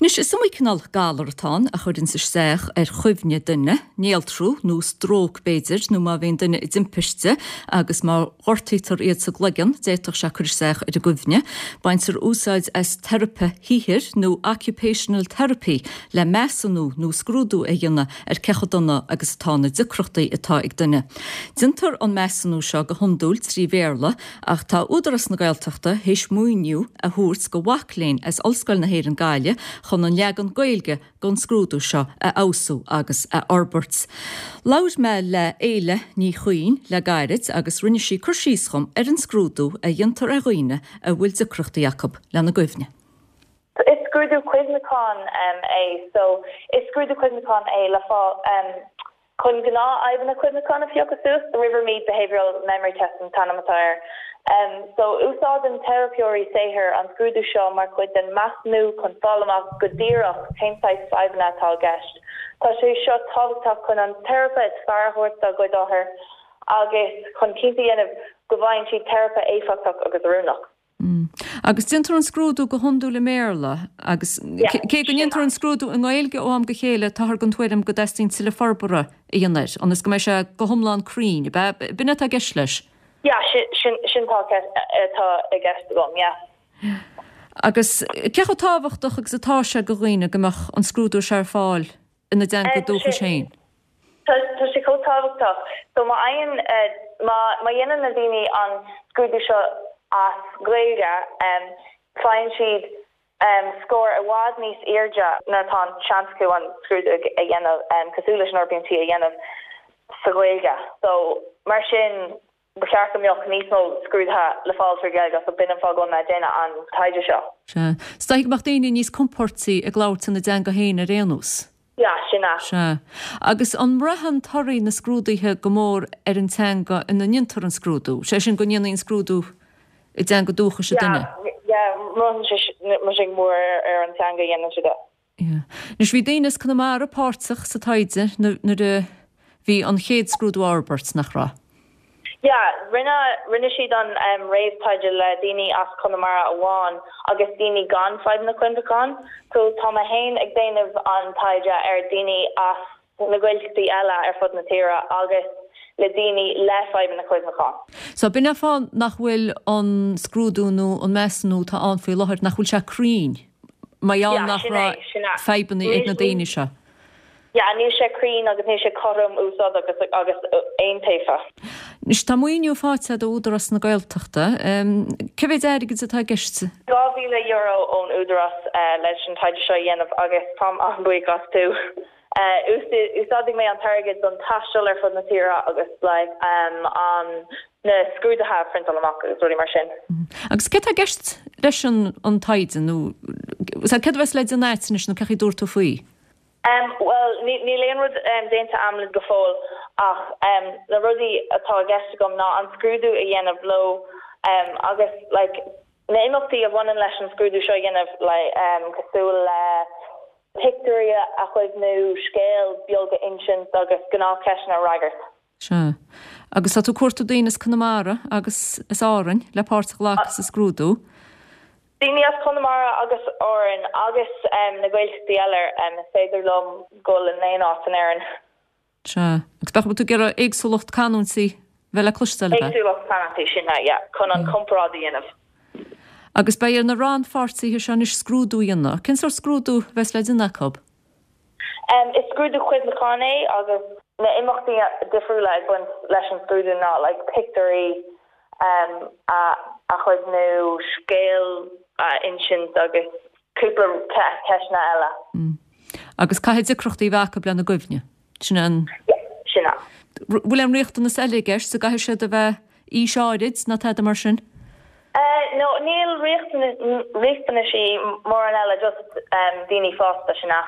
Anois, is iomaí cineál galar atá ann a chuireanns isteach ar chuimhne duine, néaltrú nó stróc b'fhéidir, nó má bhíonn duine i dtimpiste agus má ghortaítear iad sa gcloigeann, d'fhéadfadh sé cur isteach ar a gcuimhne. Baintear úsáid as teiripe shaothair nó occupational therapy le measúnú nó scrúdú a dhéanamh ar cé chomh dona agus atá na deacrachtaí atá ag duine. Déantar an measúnú seo go hiondúil trí Bhéarla Ach tá Údarás na Gaeltachta théis maoiniú a thabhairt go mhac léinn as Ollscoil na hÉireann Gaillimh chun an leagan Gaeilge den scrúdú seo a fheabhsú agus a fhorbairt. Labhair mé le Éile Ní Chuinn le gairid agus rinne sí cur síos dhom ar an scrúdú a dhéantar ar dhaoine a bhfuil deacrachtaí acu lena gcuimhne. Is scrúdú cuimhneacháin é. So, is scrúdú cuimhneacháin é le fáil. Chun gnáthfhadhbanna cuimhneacháin a phiocadh suas, The Rivermead Behavioural Memory Test an t-ainm atá air. So, úsáideann teiripeoirí saothair an scrúdú seo mar chuid den measúnú chun fáil amach go díreach cén saghas fadhbanna atá i gceist. Tá sé seo tábhachtach chun an teiripe is fearr a thabhairt dá gcuid othar agus chun cinnte a dhéanamh go bhfaigheann siad teiripe éifeachtach agus oiriúnach. Agus déantar an scrúdú go hiondúil i mBéarla agus cé go ndéantar an scrúdú i nGaeilge ó am go chéile táthar den tuairim go dteastaíonn tuilleadh forbartha a dhéanamh air ionas go mbeidh sé go hiomlán cruinn, ab ea? B'in é atá i gceist leis? Yeah, sin sin atá i gceist agam, yeah. Agus cé chomh tábhachtach agus atá sé go dhaoine go mbeadh an scrúdú seo ar fáil ina dteanga dúchais féin? Tá sé chomh tábhachtach. So má fhaigheann, má má dhéanann na daoine an scrúdú seo as Gaeilge, faigheann siad scór i bhfad níos airde nuair atá an seans acu an scrúdú a dhéanamh, cosúil leis an RBMT a dhéanamh sa Ghaeilge. So mar sin Ba cheart go mbeadh níos mó scrúduithe le fáil trí Ghaeilge so b'in an fáth go bhfuil mé ag déanamh an taighde seo. Sea. Is dóichí go mbeadh daoine níos compóirtí ag labhairt ina dteanga féin ar aon nós. Yeah, sin é. Sea. Agus an mbraitheann torthaí na scrúduithe go mór ar an teanga ina ndéantar an scrúdú? Sé sin, go ndéanfaí an scrúdú i dteanga dúchais an duine? Yeah, yeah, braitheann sé go mór ar an teanga a dhéanann siad é. Anois bhí daoine as Conamara páirteach sa taighde nuair a bhí an chéad scrúdú á fhorbairt, nach raibh? Yeah, rinne, rinne siad an réamhtaighde le daoine as Conamara amháin agus daoine gan fadhbanna cuimhneacháin. So tá mé féin ag déanamh an taighde ar daoine as na Gaeltachtaí eile ar fud na tíre agus le daoine le fadhbanna cuimhneacháin. So b'in é an fáth nach bhfuil an scrúdú nó an measúnú atá ann faoi láthair, nach bhfuil sé cruinn, mar gheall nach raibh fadhbanna ag na daoine seo. Yeah, níl sé cruinn agus níl sé cothrom, úsáideach agus iontaofa. Anois tá maoiniú faighte agat ó Údarás na Gaeltachta. Cé mhéid airgid atá i gceist? €2,000 ón Údarás leis an taighde seo a dhéanamh agus táim an-bhuíoch astu. Úsáidfidh mé an t-airgead don taisteal ar fud na tíre agus like an na scrúduithe a phriontáil amach agus rudaí mar sin. Agus céard tá i gceist leis an taighde nó céard a bheas le déanamh agat anois nó cén chaoi a dtabharfaidh tú faoi? Bhuel níl aon rud déanta a'm go fóill ach na rudaí atá i gceist agam ná an scrúdú a dhéanamh leo agus like na imeachtaí a bhaineann leis an scrúdú seo a dhéanamh like cosúil le pictiúirí a chuimhniú, scéal beag a insint agus gnáthcheisteanna a fhreagairt. Sea. Agus tá tú ag cuartú daoine as Conamara agus as Árainn le páirt a ghlacadh sa scrúdú. Daoine as Conamara agus Árainn agus na Gaeltachtaí eile, is féidir liom dul in aon áit in Éirinn. Sea. Agus bheadh tú ag iarraidh éagsúlacht canúintí bheith le cloisteáil, ab ea? Éagsúlacht canúintí, sin é, yeah, chun an comparáid a dhéanamh. Agus beidh ar na rannpháirtithe seo anois scrúdú a dhéanamh. Cén sórt scrúdú a bheas le déanamh acu? Is scrúdú cuimhneacháin é agus na imeachtaí difriúla ag baint leis an scrúdú ná like pictiúirí a chuimhniú, scéal a insint agus cúpla ceisteanna eile. Agus caithfidh deacrachtaí a bheith acu lena gcuimhne. Sin é an. Yeah, sin é. Bhfuil aon riachtanas eile i gceist, an gcaithfidh siad a bheith aois áirid nó tada mar sin? No, níl riachtanaisí mórán eile, just daoine fásta, sin é.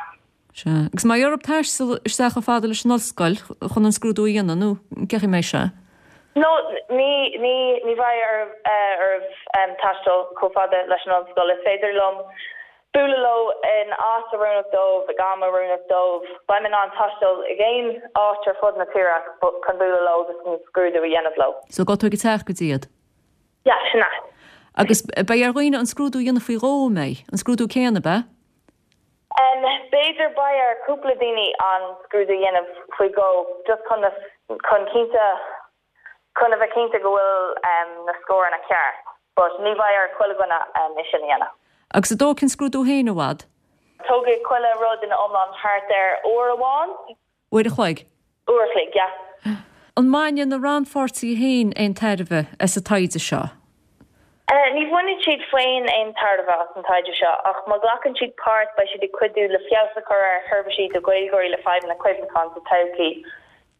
Sea. Agus an mbeidh orthu taisteal isteach chomh fada leis an ollscoil chun an scrúdú a dhéanamh, nó cén chaoi a mbeidh sé? No, ní, ní, ní bheidh orthu taisteal chomh fada leis an ollscoil. Is féidir liom bualadh leo in áit oiriúnach dóibh, ag am oiriúnach dóibh. Beidh mé in ann taisteal ag aon áit ar fud na tíre chun bualadh leo agus an scrúdú a dhéanamh leo. So gabhfaidh tú ag a teach go dtí iad? Yeah, sin é. Agus beidh ar dhaoine an scrúdú a dhéanamh faoi dhó, an mbeidh? An scrúdú céanna, ab ea? B'fhéidir beidh ar cúpla daoine an scrúdú a dhéanamh faoi dhó just chun na, chun cinnte, chun a bheith cinnte go bhfuil na scóranna ceart but ní bheidh ar chuile dhuine é sin a dhéanamh. Agus an dtógfaidh an scrúdú féin i bhfad? Tógfaidh chuile rud ina iomlán thart ar uair amháin. Uair a chloig? Uair a chloig, yeah. An mbainfidh na rannpháirtithe féin aon tairbhe as an taighde seo? Ní bhainfidh siad féin aon tairbhe as an taighde seo, ach má ghlacann siad páirt beidh siad ag cuidiú le feabhas a chur ar sheirbhísí do Ghaeilgeoirí le fadhbanna cuimhneacháin sa todhchaí.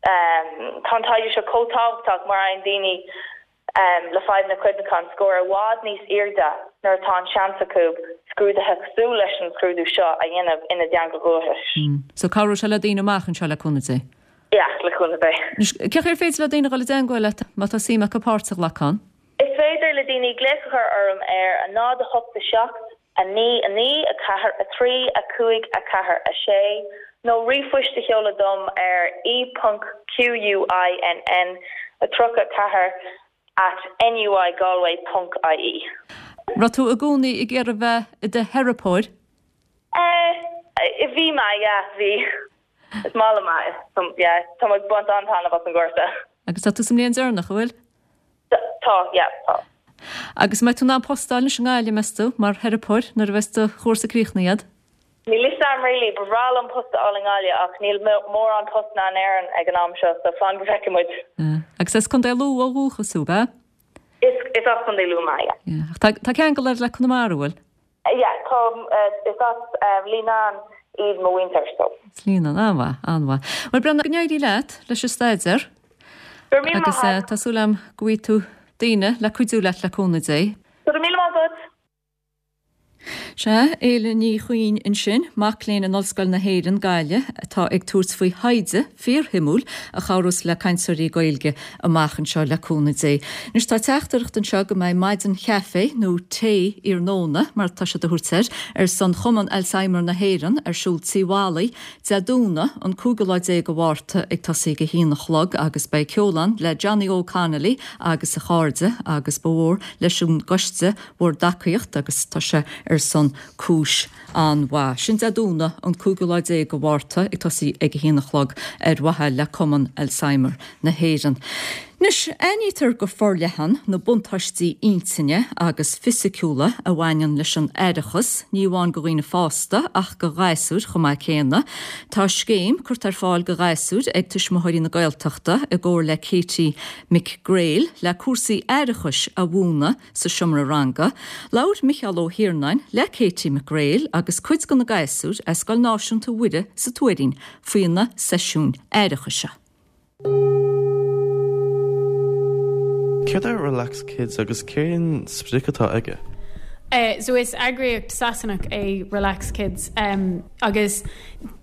Tá an taighde seo chomh tábhachtach mar fhaigheann daoine le fadhbanna cuimhneacháin scór i bhfad níos airde nuair atá an seans acu scrúduithe cosúil leis an scrúdú seo a dhéanamh ina dteanga dhúchais. So cabhróidh sé le daoine amach anseo le cúnamh Dé. Yeah, le cúnamh Dé. Anois, cén chaoi ar féidir le daoine a dhul i dteangmháil leat má tá suim acu páirt a ghlacadh ann? Is féidir le daoine glaoch a chur orm ar 0 8 7 9 9 4 3 5 4 6 nó ríomhphoist a sheoladh dom ar e ponc quinn 34 at nuigalway ponc ie. Raibh tú i gcónaí ag iarraidh bheith i do theiripeoir? Eh, bhí mé, yeah, bhí. Is maith liom é. Yeah, tá mé ag baint an-taitneamh as an gcúrsa. Agus tá tú sa mbliain deireanach, an bhfuil? Tá, yeah, tá. Agus an mbeidh tú in ann post a fháil anois i nGaillimh, meas tú, mar theiripeoir nuair a bheas do chúrsa críochnaithe agat? Níl fhios a'm really, ba bhreá liom post a fháil i nGaillimh ach níl mórán postanna in Éirinn ag an am seo so fan go bhfeicfidh muid. Agus as Contae Lú ó dhúchas thú, ab ea? Is, is as Contae Lú mé, yeah. Yeah. Ach tá, tá ceangal agat le Conamara, an bhfuil? Yeah, tá, is as Leenane iad mo mhuintir, so. As Leenane, an-mhaith, an-mhaith. Bhuel, Brenna, go n-éirí leat leis an staidéar. Go raibh míle maith agat. Agus tá súil agam go bhfaighidh tú daoine le cuidiú leat le cúnamh Dé. Go raibh míle maith agat. Sea, Éile Ní Chuinn ansin, mac léinn in Ollscoil na hÉireann, Gaillimh, atá ag tabhairt faoi thaighde fíorshuimiúil a chabhrós le cainteoirí Gaeilge amach anseo le cúnamh Dé. Anois tá teachtaireacht anseo go mbeidh maidin chaife nó tae iarnóna, mar atá siad a thabhairt air, ar son Chumann Alzheimer na hÉireann ar siúl Tí Mholly Dé Domhnaigh an cúigiú lá déag de Mhárta ag tosaí ag a haon a chlog agus beidh ceol ann le Johnny Óg Connolly agus a chairde agus ba mhór leis an gcoiste bhur dtacaíocht agus tá sé ar son cúis an-mhaith. Sin Dé Domhnaigh an cúigiú lá déag de Mhárta ag tosaí ag a haon a chlog ar mhaithe le Cumann Alzheimer na hÉireann. Anois, aithnítear go forleathan na buntáistí intinne agus fisiciúla a bhaineann leis an aireachas, ní amháin do dhaoine fásta ach do ghasúir chomh maith céanna. Tá scéim curtha ar fáil do ghasúir ag Tuismitheoirí na Gaeltachta i gcomhar le Katie McGrail le cúrsaí aireachais a mhúineadh sa seomra ranga, labhair Micheál Ó hIarnáin le Katie McGrail agus cuid de na gasúir as Scoil Náisiúnta Mhuire sa Tuairín faoi na seisiúin aireachais seo. Céard é Relax Kids agus cén sprioc atá aige? So is eagraíocht Sasanach é Relax Kids agus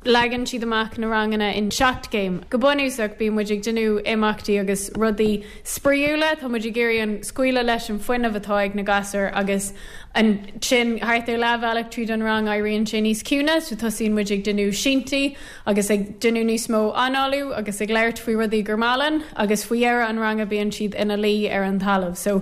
leagann siad amach na ranganna in 7 gcéim. Go bunúsach bíonn muid ag déanamh imeachtaí agus rudaí spraíúla, tá muid ag iarraidh an scaoileadh leis an fuinneamh atá ag na gasúir agus ansin thart ar leathbhealach tríd an rang éiríonn sé níos ciúine so tosaíonn muid ag déanamh síntí agus ag déanamh níos mó análú agus ag labhairt faoi rudaí gur maith linn agus faoi dheireadh an ranga bíonn siad ina luí ar an talamh. So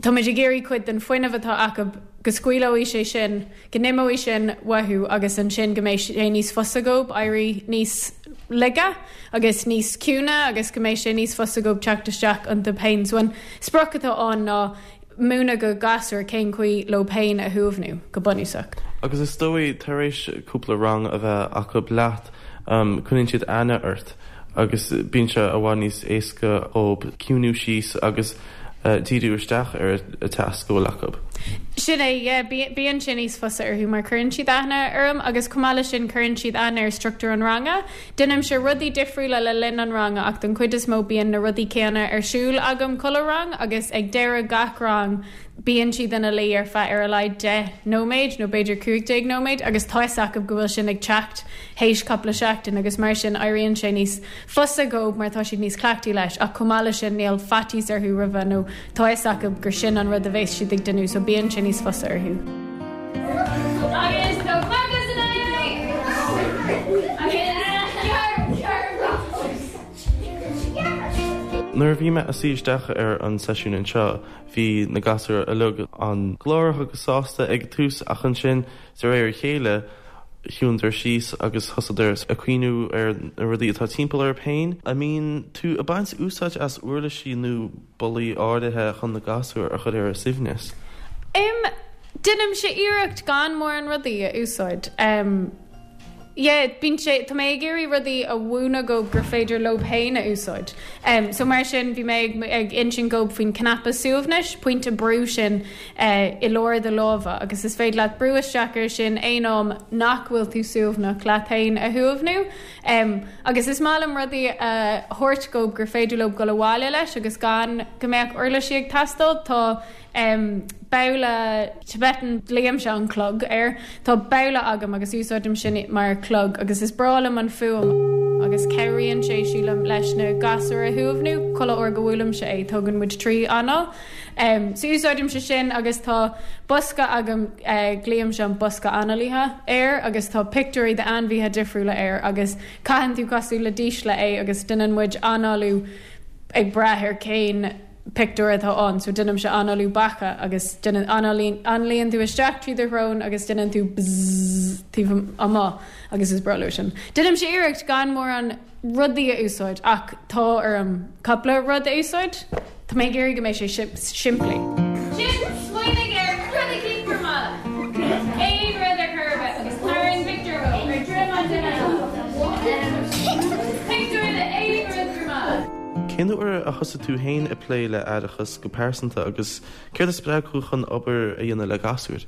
táimid ag iarraidh cuid den fuinneamh atá acu go scaoileoidh sé sin, go n-imeoidh sin uathu agus ansin go mbeidh sé níos fusa dhóibh éirí níos laige agus níos ciúine agus go mbeidh sé níos fusa dhóibh teacht isteach iontu féin. So an sprioc atá ann ná múineadh do ghasúir cén chaoi leo féin a shuaimhniú, go bunúsach. Agus is dóigh, tar éis cúpla rang a bheith acu leat, coinníonn siad aithne ort agus bíonn sé i bhfad níos éasca dhóibh ciúnú síos agus díriú isteach ar an tasc a bhfuil acu. Sin é, yeah, bíonn sé níos fusa orthu mar cuireann siad aithne orm agus chomh maith leis sin cuireann siad aithne ar struchtúr an ranga. Déanaimse rudaí difriúla le linn an ranga ach don chuid is mó bíonn na rudaí céanna ar siúl agam chuile rang agus ag deireadh gach rang bíonn siad ina luí ar feadh ar a laghad 10 nóiméad nó b'fhéidir 15 nóiméad agus tá 'fhios acu go bhfuil sin ag teacht théis cúpla seachtain agus mar sin éiríonn sé níos fusa dhóibh mar tá siad níos cleachtaí leis ach chomh maith leis sin níl faitíos orthu roimhe nó tá 'fhios acu gur sin an rud a bheas siad ag déanamh so bíonn sé níos fusa orthu. Agus tá fada san aghaidh! Agus gearr, gearr, Nuair a bhí mé ag suí isteach ar an seisiún anseo, bhí na gasúir uilig an-ghlórach agus sásta ag an tús ach ansin, de réir a chéile, chiúnadar síos agus thosaíodar ag cuimhniú ar na rudaí atá timpeall orthu féin. An mbíonn tú ag baint úsáid as uirlisí nó bealaí áirithe chun na gasúir a chur ar a suaimhneas? Em, déanaimse iarracht gan mórán rudaí a úsáid. Em, yeah, bíonn sé, tá mé ag iarraidh rudaí a mhúineadh dhóibh gur féidir leo féin a úsáid. Em, so mar sin bhí mé ag, ag insint dhóibh faoin cnaipe suaimhnis, pointe brú sin eh, i lár do láimhe agus is féidir leat brú isteach air sin aon am nach bhfuil tú suaimhneach leat féin a shuaimhniú. Em, agus is maith liom rudaí a thabhairt dhóibh gur féidir leo dul abhaile leis agus gan go mbeadh uirlisí ag teastáil. Tá, em, babhla Tibetan, glaoimse an clog air. Tá babhla agam agus úsáidim sin mar chlog agus is breá liom an fuaim agus cabhraíonn sé, sílim, leis na gasúir a shuaimhniú. Chuile uair go bhuailimse é, tógann muid 3 anáil. Em, so úsáidimse sin agus tá bosca agam, eh, glaoimse an bosca análaithe air agus tá pictiúirí d'ainmhithe difriúla air agus caitheann tú cosúil le dísle é agus déanann muid análú ag brath ar cén pictiúr atá ann. So déanaimse análú beacha agus déanann, análaíonn, analaíonn tú isteach trí do shrón agus déanann tú bzzz taobh amuigh agus is breá leo sin. Déanaimse iarracht gan mórán rudaí a úsáid ach tá orm cúpla rud a úsáid. Tá mé ag iarraidh go mbeidh sé simplí. Sin, smaoinigh ar rud eicínt gur maith leat. Aon rud ar chor ar bith agus tarraing pictiúr dhó ar droim an duine eile. Pictiúr de aon rud gur maith leat. Cén uair a thosaigh tú féin ag plé le haireachas go pearsanta agus céard a spreag thú chun obair a dhéanamh le gasúir?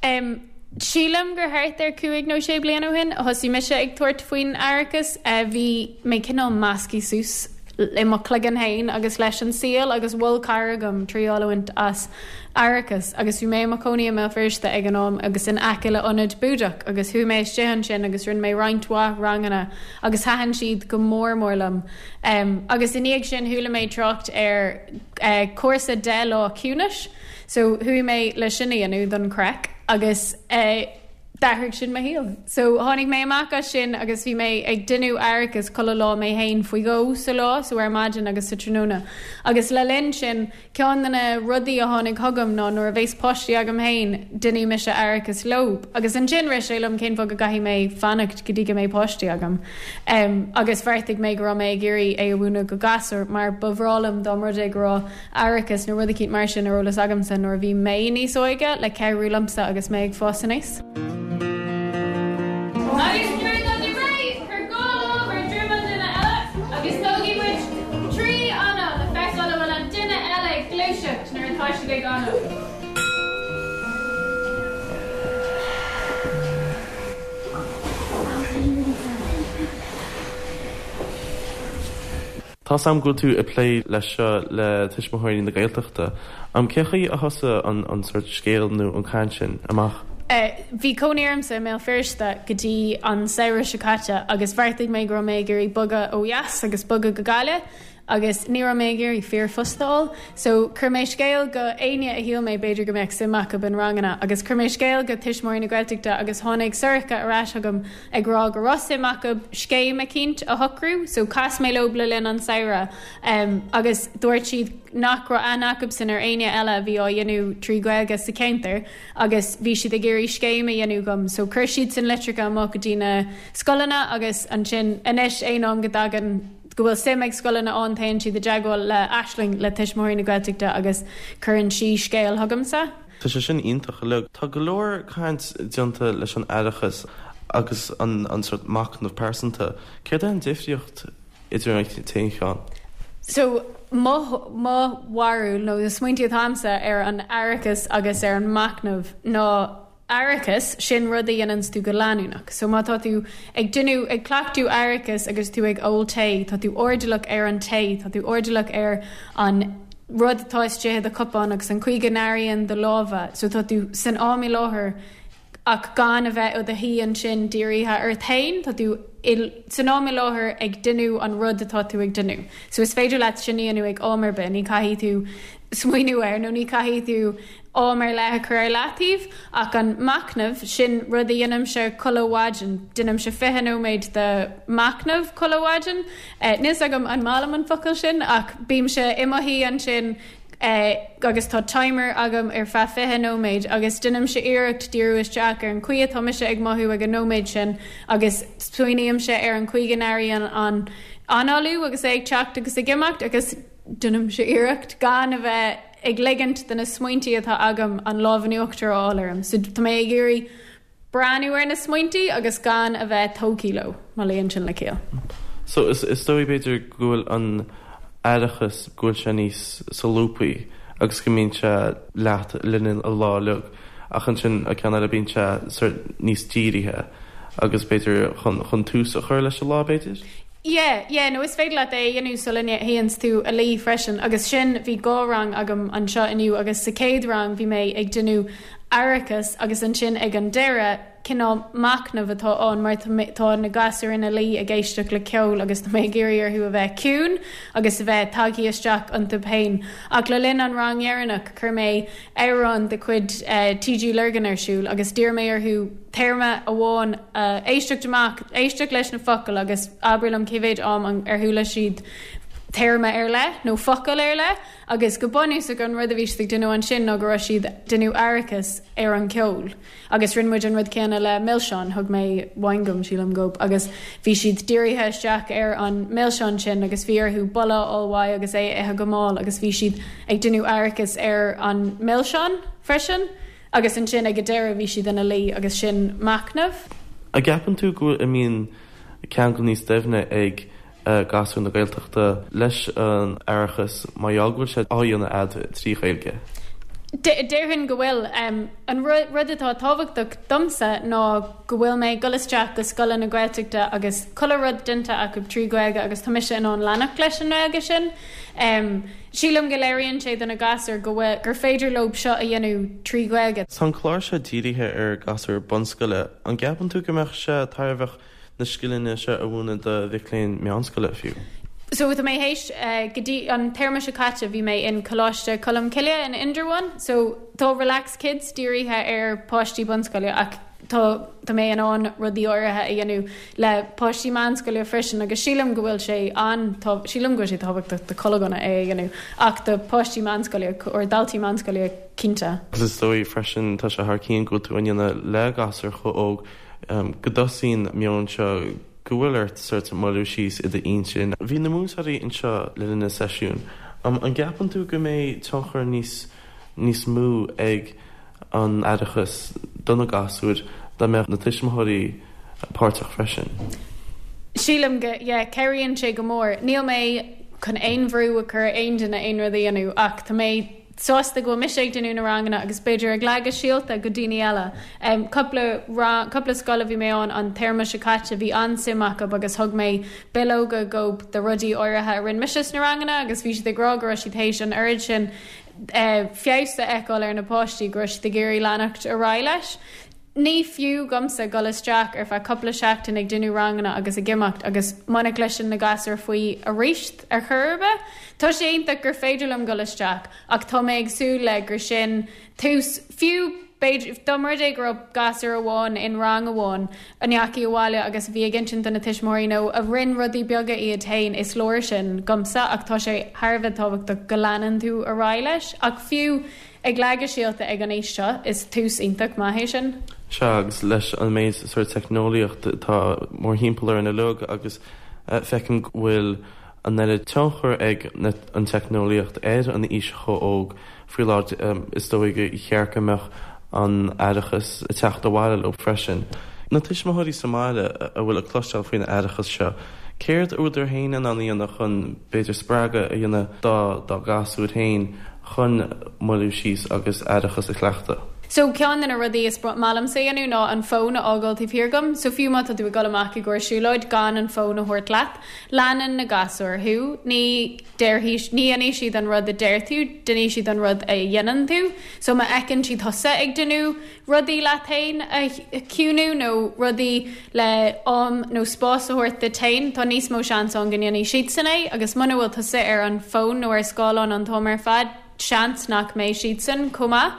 Em. Sílim gur thart ar chúig nó sé bliana ó shin a thosaigh mise ag tabhairt faoin aireachas. Bhí mé cineál measctha suas i mo chloigeann féin agus leis an saol agus mhol cara dhom triail a bhaint as aireachas agus bhí mé i mo chónaí i mBéal Feirste ag an am agus in aice le ionad Búdach agus chuaigh mé istigh ansin agus rinne mé roinnt mhaith ranganna agus thaitin siad go mór mór liom. Agus i ndiaidh sin chuala mé trácht ar cúrsa 10 lá ciúnais. So chuaigh mé le sin a dhéanamh don chraic agus eh d'athraigh sin mo shaol. So tháinig mé amach as sin agus bhí mé ag déanamh aireachas chuile lá mé fhéin faoi dhó sa lá, so ar maidin agus sa tráthnóna. Agus le linn sin, ceann de na rudaí a tháinig chugam ná nuair a bhéas páistí agam fhéin, déanfaidh mise aireachas leo. Agus ansin rith sé liom cén fáth go gcaithfidh mé fanacht go dtí go mbeidh páistí agam. Em agus bheartaigh mé go raibh mé ag iarraidh é a mhúineadh go gasúir mar ba bhreá liom dá mba rud é go raibh aireachas nó rud eicínt mar sin ar eolas agamsa nuair a bhí mé níos óige le cabhrú liomsa agus mé ag fás aníos. Agus nuair atá tú réidh, cuir dhá lámh ar droim an duine eile agus tógfaidh muid 3 anáil le feiceáil an bhfuil an duine eile ag gluaiseacht nuair atá siad ag análú. Tá. Tá's a'm go bhfuil tú ag plé leis seo le Tuismitheoirí na Gaeltachta. Cé chaoi a thosaigh an sórt scéal nó an caint sin amach? Bhí cónaí ormsa i mBéal Feirste go dtí an samhradh seo caite agus bheartaigh mé go raibh mé ag iarraidh bogadh ó dheas agus bogadh go Gaillimh agus ní raibh mé ag iarraidh fíorphost a fháil so chuir mé scéal go éinne a shíl mé b'fhéidir go mbeadh suim acu in ranganna agus chuir mé scéal go Tuismitheoirí na Gaeltachta agus tháinig Sorcha ar ais chugam ag rá go raibh suim acu scéim eicínt a shocrú so chas mé leo le linn an samhradh agus dúirt siad nach raibh aithne acubsan ar éinne eile a bhí á dhéanamh trí Ghaeilge sa cheantar agus bhí siad ag iarraidh scéim a dhéanamh dhom so chuir siadsan litreacha amach go dtí na scoileanna agus ansin anois aon am go dtagann go bhfuil suim ag scoileanna ann téann siad i dteagmháil le Aisling le Tuismitheoirí na Gaeltachta agus cuireann sí scéal chugamsa. Tá sé sin iontach uilig. Tá go leor caint déanta leis an aireachas agus an sórt machnamh pearsanta. Céard é an difríocht idir an t-aon cheann? So, mo mo bharúil nó na smaointí atá a'msa ar an aireachas agus ar an machnamh ná aireachas, sin rud a dhéananns tú go leanúnach. So má tá tú ag déanamh, ag cleachtadh aireachas agus tú ag ól tae, tá tú airdeallach ar an tae, tá tú airdeallach ar an rud atá istigh i do chupán agus an chaoi go n-airíonn do lámha. So tá tú san am i láthair ach gan a bheith i do shuí ansin dírithe ort féin, tá tú i, san am i láthair ag déanamh an rud atá tú ag déanamh. So is féidir leat sin a dhéanamh ag am ar bith, ní caithfidh tú smaoineamh air nó ní caithfidh tú am ar leith a chur ar leataobh, ach an machnamh, sin rud a dhéanaimse chuile mhaidin. Déanaimse 20 nóiméad de mhachnamh chuile mhaidin. Níl 's agam an maith liom an focal sin, ach bímse i mo shuí ansin agus tá timer agam ar feadh 20 nóiméad agus déanaimse iarracht díriú isteach ar an chaoi atá mise ag mothú ag an nóiméad sin agus smaoinímse ar an chaoi go n-airíonn an análú agus é ag teacht agus ag imeacht agus déanaimse iarracht gan a bheith ag ligint do na smaointí atá agam an lámh in uachtar a fháil orm. So tá mé ag iarraidh breathnú ar na smaointí agus gan a bheith tógtha leo, má luíonn sin le ciall. So is dóigh b'fhéidir go bhfuil an aireachas, go bhfuil sé níos solúbthaí agus go mbíonn sé leat le linn an lá uilig ach ansin an ceann eile bíonn sé sort níos dírithe agus b'fhéidir chun tús a chur leis an lá b'fhéidir? Yeah, yeah, nó is féidir leat é a dhéanamh sula dtéanns tú a luí freisin agus sin, bhí dhá rang agam anseo inniu agus sa chéad rang bhí mé ag déanamh aireachas agus ansin ag an deireadh cineál machnamh atá ann mar tá na gasúir ina luí ag éisteacht le ceol agus tá mé ag iarraidh orthu a bheith ciúin agus a bheith tagtha isteach iontu féin. Ach le linn an rang dheireanach chuir mé amhrán de chuid TG Lurgan ar siúl agus d'iarr mé orthu téarma amháin a éisteacht amach, éisteacht leis na focail agus abair liom cé mhéid am ar chuala siad téarma ar leith nó focal ar leith agus go bunúsach an rud a bhí siad ag déanamh ansin ná go raibh siad déanamh aireachas ar an cheol agus rinne muid an rud céanna le milseáin, thug mé winegum sílim dhóibh agus bhí siad dírithe isteach ar an milseán sin agus bhí orthu boladh a fháil uaidh agus é a ithe go mall agus bhí siad ag déanamh aireachas ar an milseán freisin. Agus ansin ag an deireadh bhí siad ina luí agus sin machnamh. An gceapann tú go mbíonn ceangal níos doimhne ag gasúir na Gaeltachta leis an aireachas mar gheall go bhfuil sé á dhéanamh a'd trí Ghaeilge? Déarfainn go bhfuil. An rud atá tábhachtach domsa ná go bhfuil mé ag dul isteach go scoileanna Gaeltachta agus chuile rud déanta acu trí Ghaeilge agus tá mise in ann leanacht leis an nGaeilge sin. Sílim go léiríonn sé do na gasúir go bhfuil, gur féidir leo seo a dhéanamh trí Ghaeilge. Tá an clár seo dírithe ar ghasúir bunscoile. An gceapann tú go mbeadh sé tairbheach na scileanna seo a mhúineadh do mhic léinn meánscoile fiú? So tá mé théis, go dtí an téarma seo caite bhí mé in Coláiste Cholmcille in Indreabhán. So tá Relax Kids dírithe ar páistí bunscoile ach tá tá mé in ann rudaí áirithe a dhéanamh le páistí meánscoile freisin agus sílim go bhfuil sé an sílim go bhfuil sé tábhachtach do chuile dhuine é a dhéanamh ach do páistí meánscoile or daltaí meánscoile cinnte. Agus is dóigh freisin tá sé thar cionn go bhfuil tú á ndéanamh le gasúir chomh óg go dtosaíonn meon seo go bhfuil ort sort moilliú síos i d'intinn. Bhí na múinteoirí anseo le linn na seisiún. An gceapann tú go mbeidh tionchar níos níos mó ag an aireachas do na gasúir dá mbeadh na tuismitheoirí páirteach freisin. Sílim go, yeah, cabhraíonn sé go mór. Níl mé chun aon bhrú a chur ar aon duine aon rud a dhéanamh ach tá mé. sásta go bhfuil mise ag déanamh na ranganna agus b'fhéidir ag leagadh síolta go daoine eile. Cúpla rang, cúpla scoil a bhí mé ann an téarma seo caite, bhí an-suim acu agus thug mé bileoga dhób de rudaí áirithe a rinne mise sna ranganna agus bhí siad ag rá go raibh siad théis an oiread sin feabhas a fheiceáil ar na páistí go raibh siad ag iarraidh leanacht ar aghaidh leis. Ní fiú dhomsa dul isteach ar feadh cúpla seachtain ag déanamh ranganna agus ag imeacht agus muna gcloiseann na gasúir faoi aríst ar chor ar bith. Tá sé iontach gur féidir liom dul isteach ach tá mé ag súil le gur sin tús, fiú b'fhéidir, dá mba rud é go raibh gasúr amháin in rang amháin a ndeachaigh abhaile agus a bhí ag insint do na tuismitheoirí nó a rinn rudaí beaga iad féin, is leor sin dhomsa ach tá sé thar a bheith tábhachtach go leanann tú ar aghaidh leis ach fiú Ag leagadh síolta ag an aois seo, is tús iontach maith é sin. Sea, agus leis an méid sórt teicneolaíocht atá mórthimpeall orainn uilig agus feicim go bhfuil an oiread tionchar ag an teicneolaíocht ar an aois chomh óg faoi láthair, is dóigh gur cheart go mbeadh an t-aireachas ag teacht abhaile leo freisin. Na tuismitheoirí sa mbaile a bhfuil ag cloisteáil faoin aireachas seo, céard a bhfuileadar féin in ann a dhéanamh chun b'fhéidir spreagadh a dhéanamh dá gasúir féin chun moilliú síos agus aireachas a chleachtadh. So ceann de na rudaí is maith liomsa a dhéanamh ná an fón a fhágáil taobh thiar agam. So fiú má tá tú ag dul amach i gcomhair siúlóid, gan an fón a thabhairt leat. Leanann na gasúir thú. Ní déarfaidh, ní dhéanfaidh siad an rud a deir tú, déanfaidh siad an rud a dhéanann tú. So má fheiceann siad thusa ag déanamh rudaí leat féin a chiúnú nó rudaí le am nó spás a thabhairt duit féin, tá níos mó seans ann go ndéanfaidh siadsan é agus muna bhfuil tusa ar an bhfón nó ar scáileán an t-am ar fad, seans nach mbeidh siadsan chomh maith.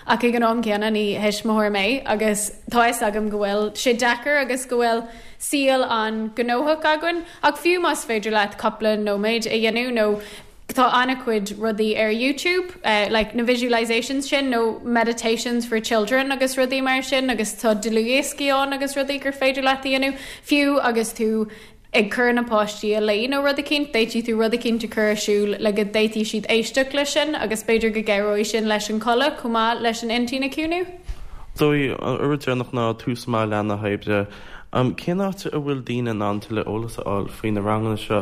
Ach ag an am céanna, ní thuismitheoir mé agus tá fhios agam go bhfuil sé deacair agus go bhfuil saol an-ghnóthach againn ach fiú más féidir leat cúpla nóiméad a dhéanamh nó Tá an-chuid rudaí ar YouTube, like na visualisations sin nó meditations for children agus rudaí mar sin agus tá dlúthdhioscaí ann agus rudaí gur féidir leat a dhéanamh, fiú agus tú ag cur na páistí a luí nó rud eicínt, d'fhéadfaidh tú rud eicínt a chur ar siúl le go bhféadfaidh siad éisteacht leis sin agus b'fhéidir go gcabhróidh sin leis an codladh chomh maith leis an intinn a chiúnú. Dóigh, an rud deireanach ná tús maith le na hoibre. Cén áit a bhfuil daoine in ann tuilleadh eolas a fháil faoi na ranganna seo?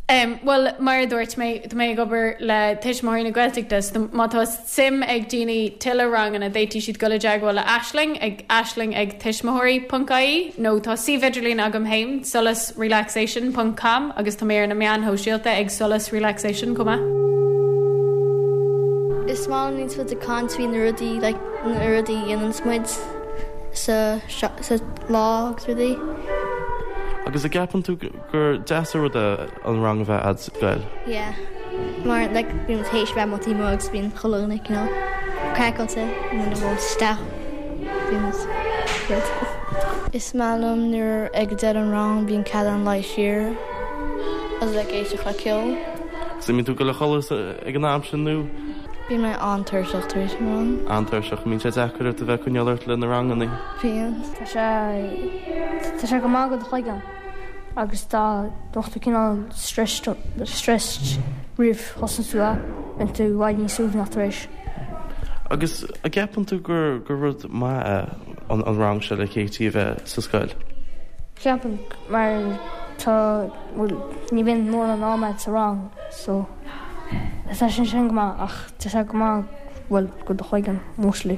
Bhuel, mar a dúirt mé, tá mé ag obair le Tuismitheoirí na Gaeltachta, so má tá suim ag daoine tuilleadh ranganna, d'fhéadfaidh siad dul i dteagmháil le Aisling ag aisling ag tuismitheoirí ponc ie nó tá suíomh idirlín agam féin, solasrelaxation ponc com agus tá mé ar na meáin shóisialta ag solasrelaxation chomh maith. Is maith liom níos muid ag caint faoi na rudaí like na rudaí a dhéananns muid sa sa lá agus rudaí. Agus an gceapann tú gur deas an rud é an rang a bheith a'd sa scoil? Yeah. Mar like bíonn muid théis bheith amuigh taobh amuigh agus bíonn chuile dhuine cineál craiceáilte nuair a bhfuil isteach bíonn muid good. Is maith liom nuair ag deireadh an rang bíonn cead ann luí siar agus like éisteacht le ceol. Agus an mbíonn tú ag dul a chodladh ag an am sin nó? Bíonn mé an-tuirseach tar éis an rang. An-tuirseach. An mbíonn sé deacair ort a bheith ag coinneáil ort le na ranganna? Bíonn. Tá sé, tá sé go maith do do chloigeann agus dá mbeadh tú cineál stressed, stressed roimh thosnú tú é, bíonn tú i bhfad níos suaimhneach tar éis. Agus an gceapann tú gur, gur rud maith é an, an rang seo le Katie a bheith sa scoil? Ceapaim mar tá, bhuel, ní bhíonn mórán ama a'd sa rang so tá sé sin go maith ach tá sé go maith, bhuel, do do chloigeann mostly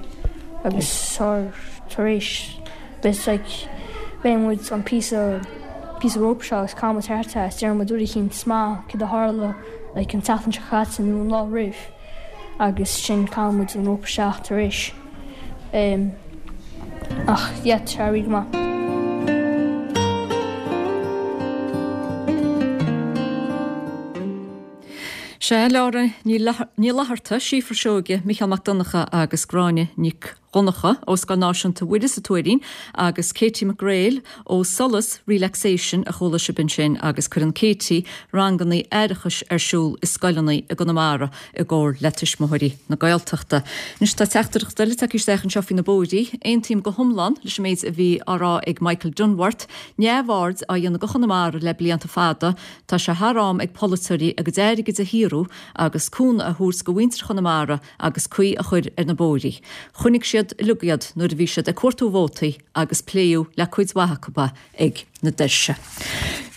agus tar tar éis it's like léann muid an píosa píosa rope seo agus caitheann muid thart é is deireann muid rud eicínt maith céard a tharla like an tseachtain seo caite nó an lá roimh agus sin caitheann muid an rope isteach tar éis um ach yeah tá sé really go maith. Sea, Laura Ní Fhlatharta, Síofra Seoige, Micheál Mac Donncha agus Gráinne Nic Dhonncha ó Scoil Náisiúnta Mhuire sa Tuairín agus Katie McGrail ó Solas Relaxation a chuala sibh ansin agus cuireann Katie ranganna aireachais ar siúl i scoileanna i gConamara i gcomhar le Tuismitheoirí na Gaeltachta. Anois tá teachtaireacht eile tagtha isteach anseo faoi na bóithrí. Aontaím go hiomlán leis an méid a bhí á rá ag Michael Dunworth. Neamhaird á dhéanamh de Chonamara le blianta fada. Tá sé thar am ag polaiteoirí a gcuid airgid a shaothrú agus cúnamh a thabhairt go mhuintir Chonamara agus caoi a chur ar na bóithrí. Chonaic siad uilig iad nuair a bhí siad ag cuartú vótaí agus pléadh le cuid mhaith acu ag na doirse.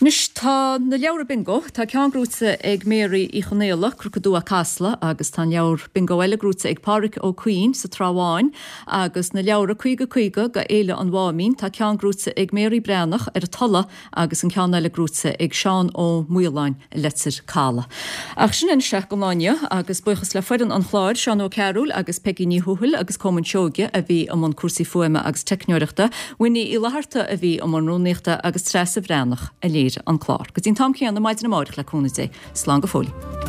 Anois tá na leabhra bingo, tá ceann gnóite ag Mary Uí Chonaola, Cnoc an Dúa, Casla, agus tá an leabhar bingo eile gnóite ag Pádhraic Ó Cuinn sa Trá Bháin, agus na leabhra 50 50 go Fhéile an Mháimín, tá ceann gnóite ag Mary Breathnach ar an Tulaigh agus an ceann eile gnóite ag Seán Ó Maoláin i Leitir Caladh. Ach sin anois é don lá inniu agus buíochas le foireann an chláir, Seán Ó Cearúil agus Peigí Ní Thuathail agus Colmán Seoige a bhí i mbun cúrsaí fuaime agus teicneoireachta, Winnie Uí Fhlatharta a bhí i mbun rúnaíochta agus Treasa Bhreathnach a léirigh an clár. Go dtí an t-am céanna maidin amárach le cúnamh Dé. Slán go fóill.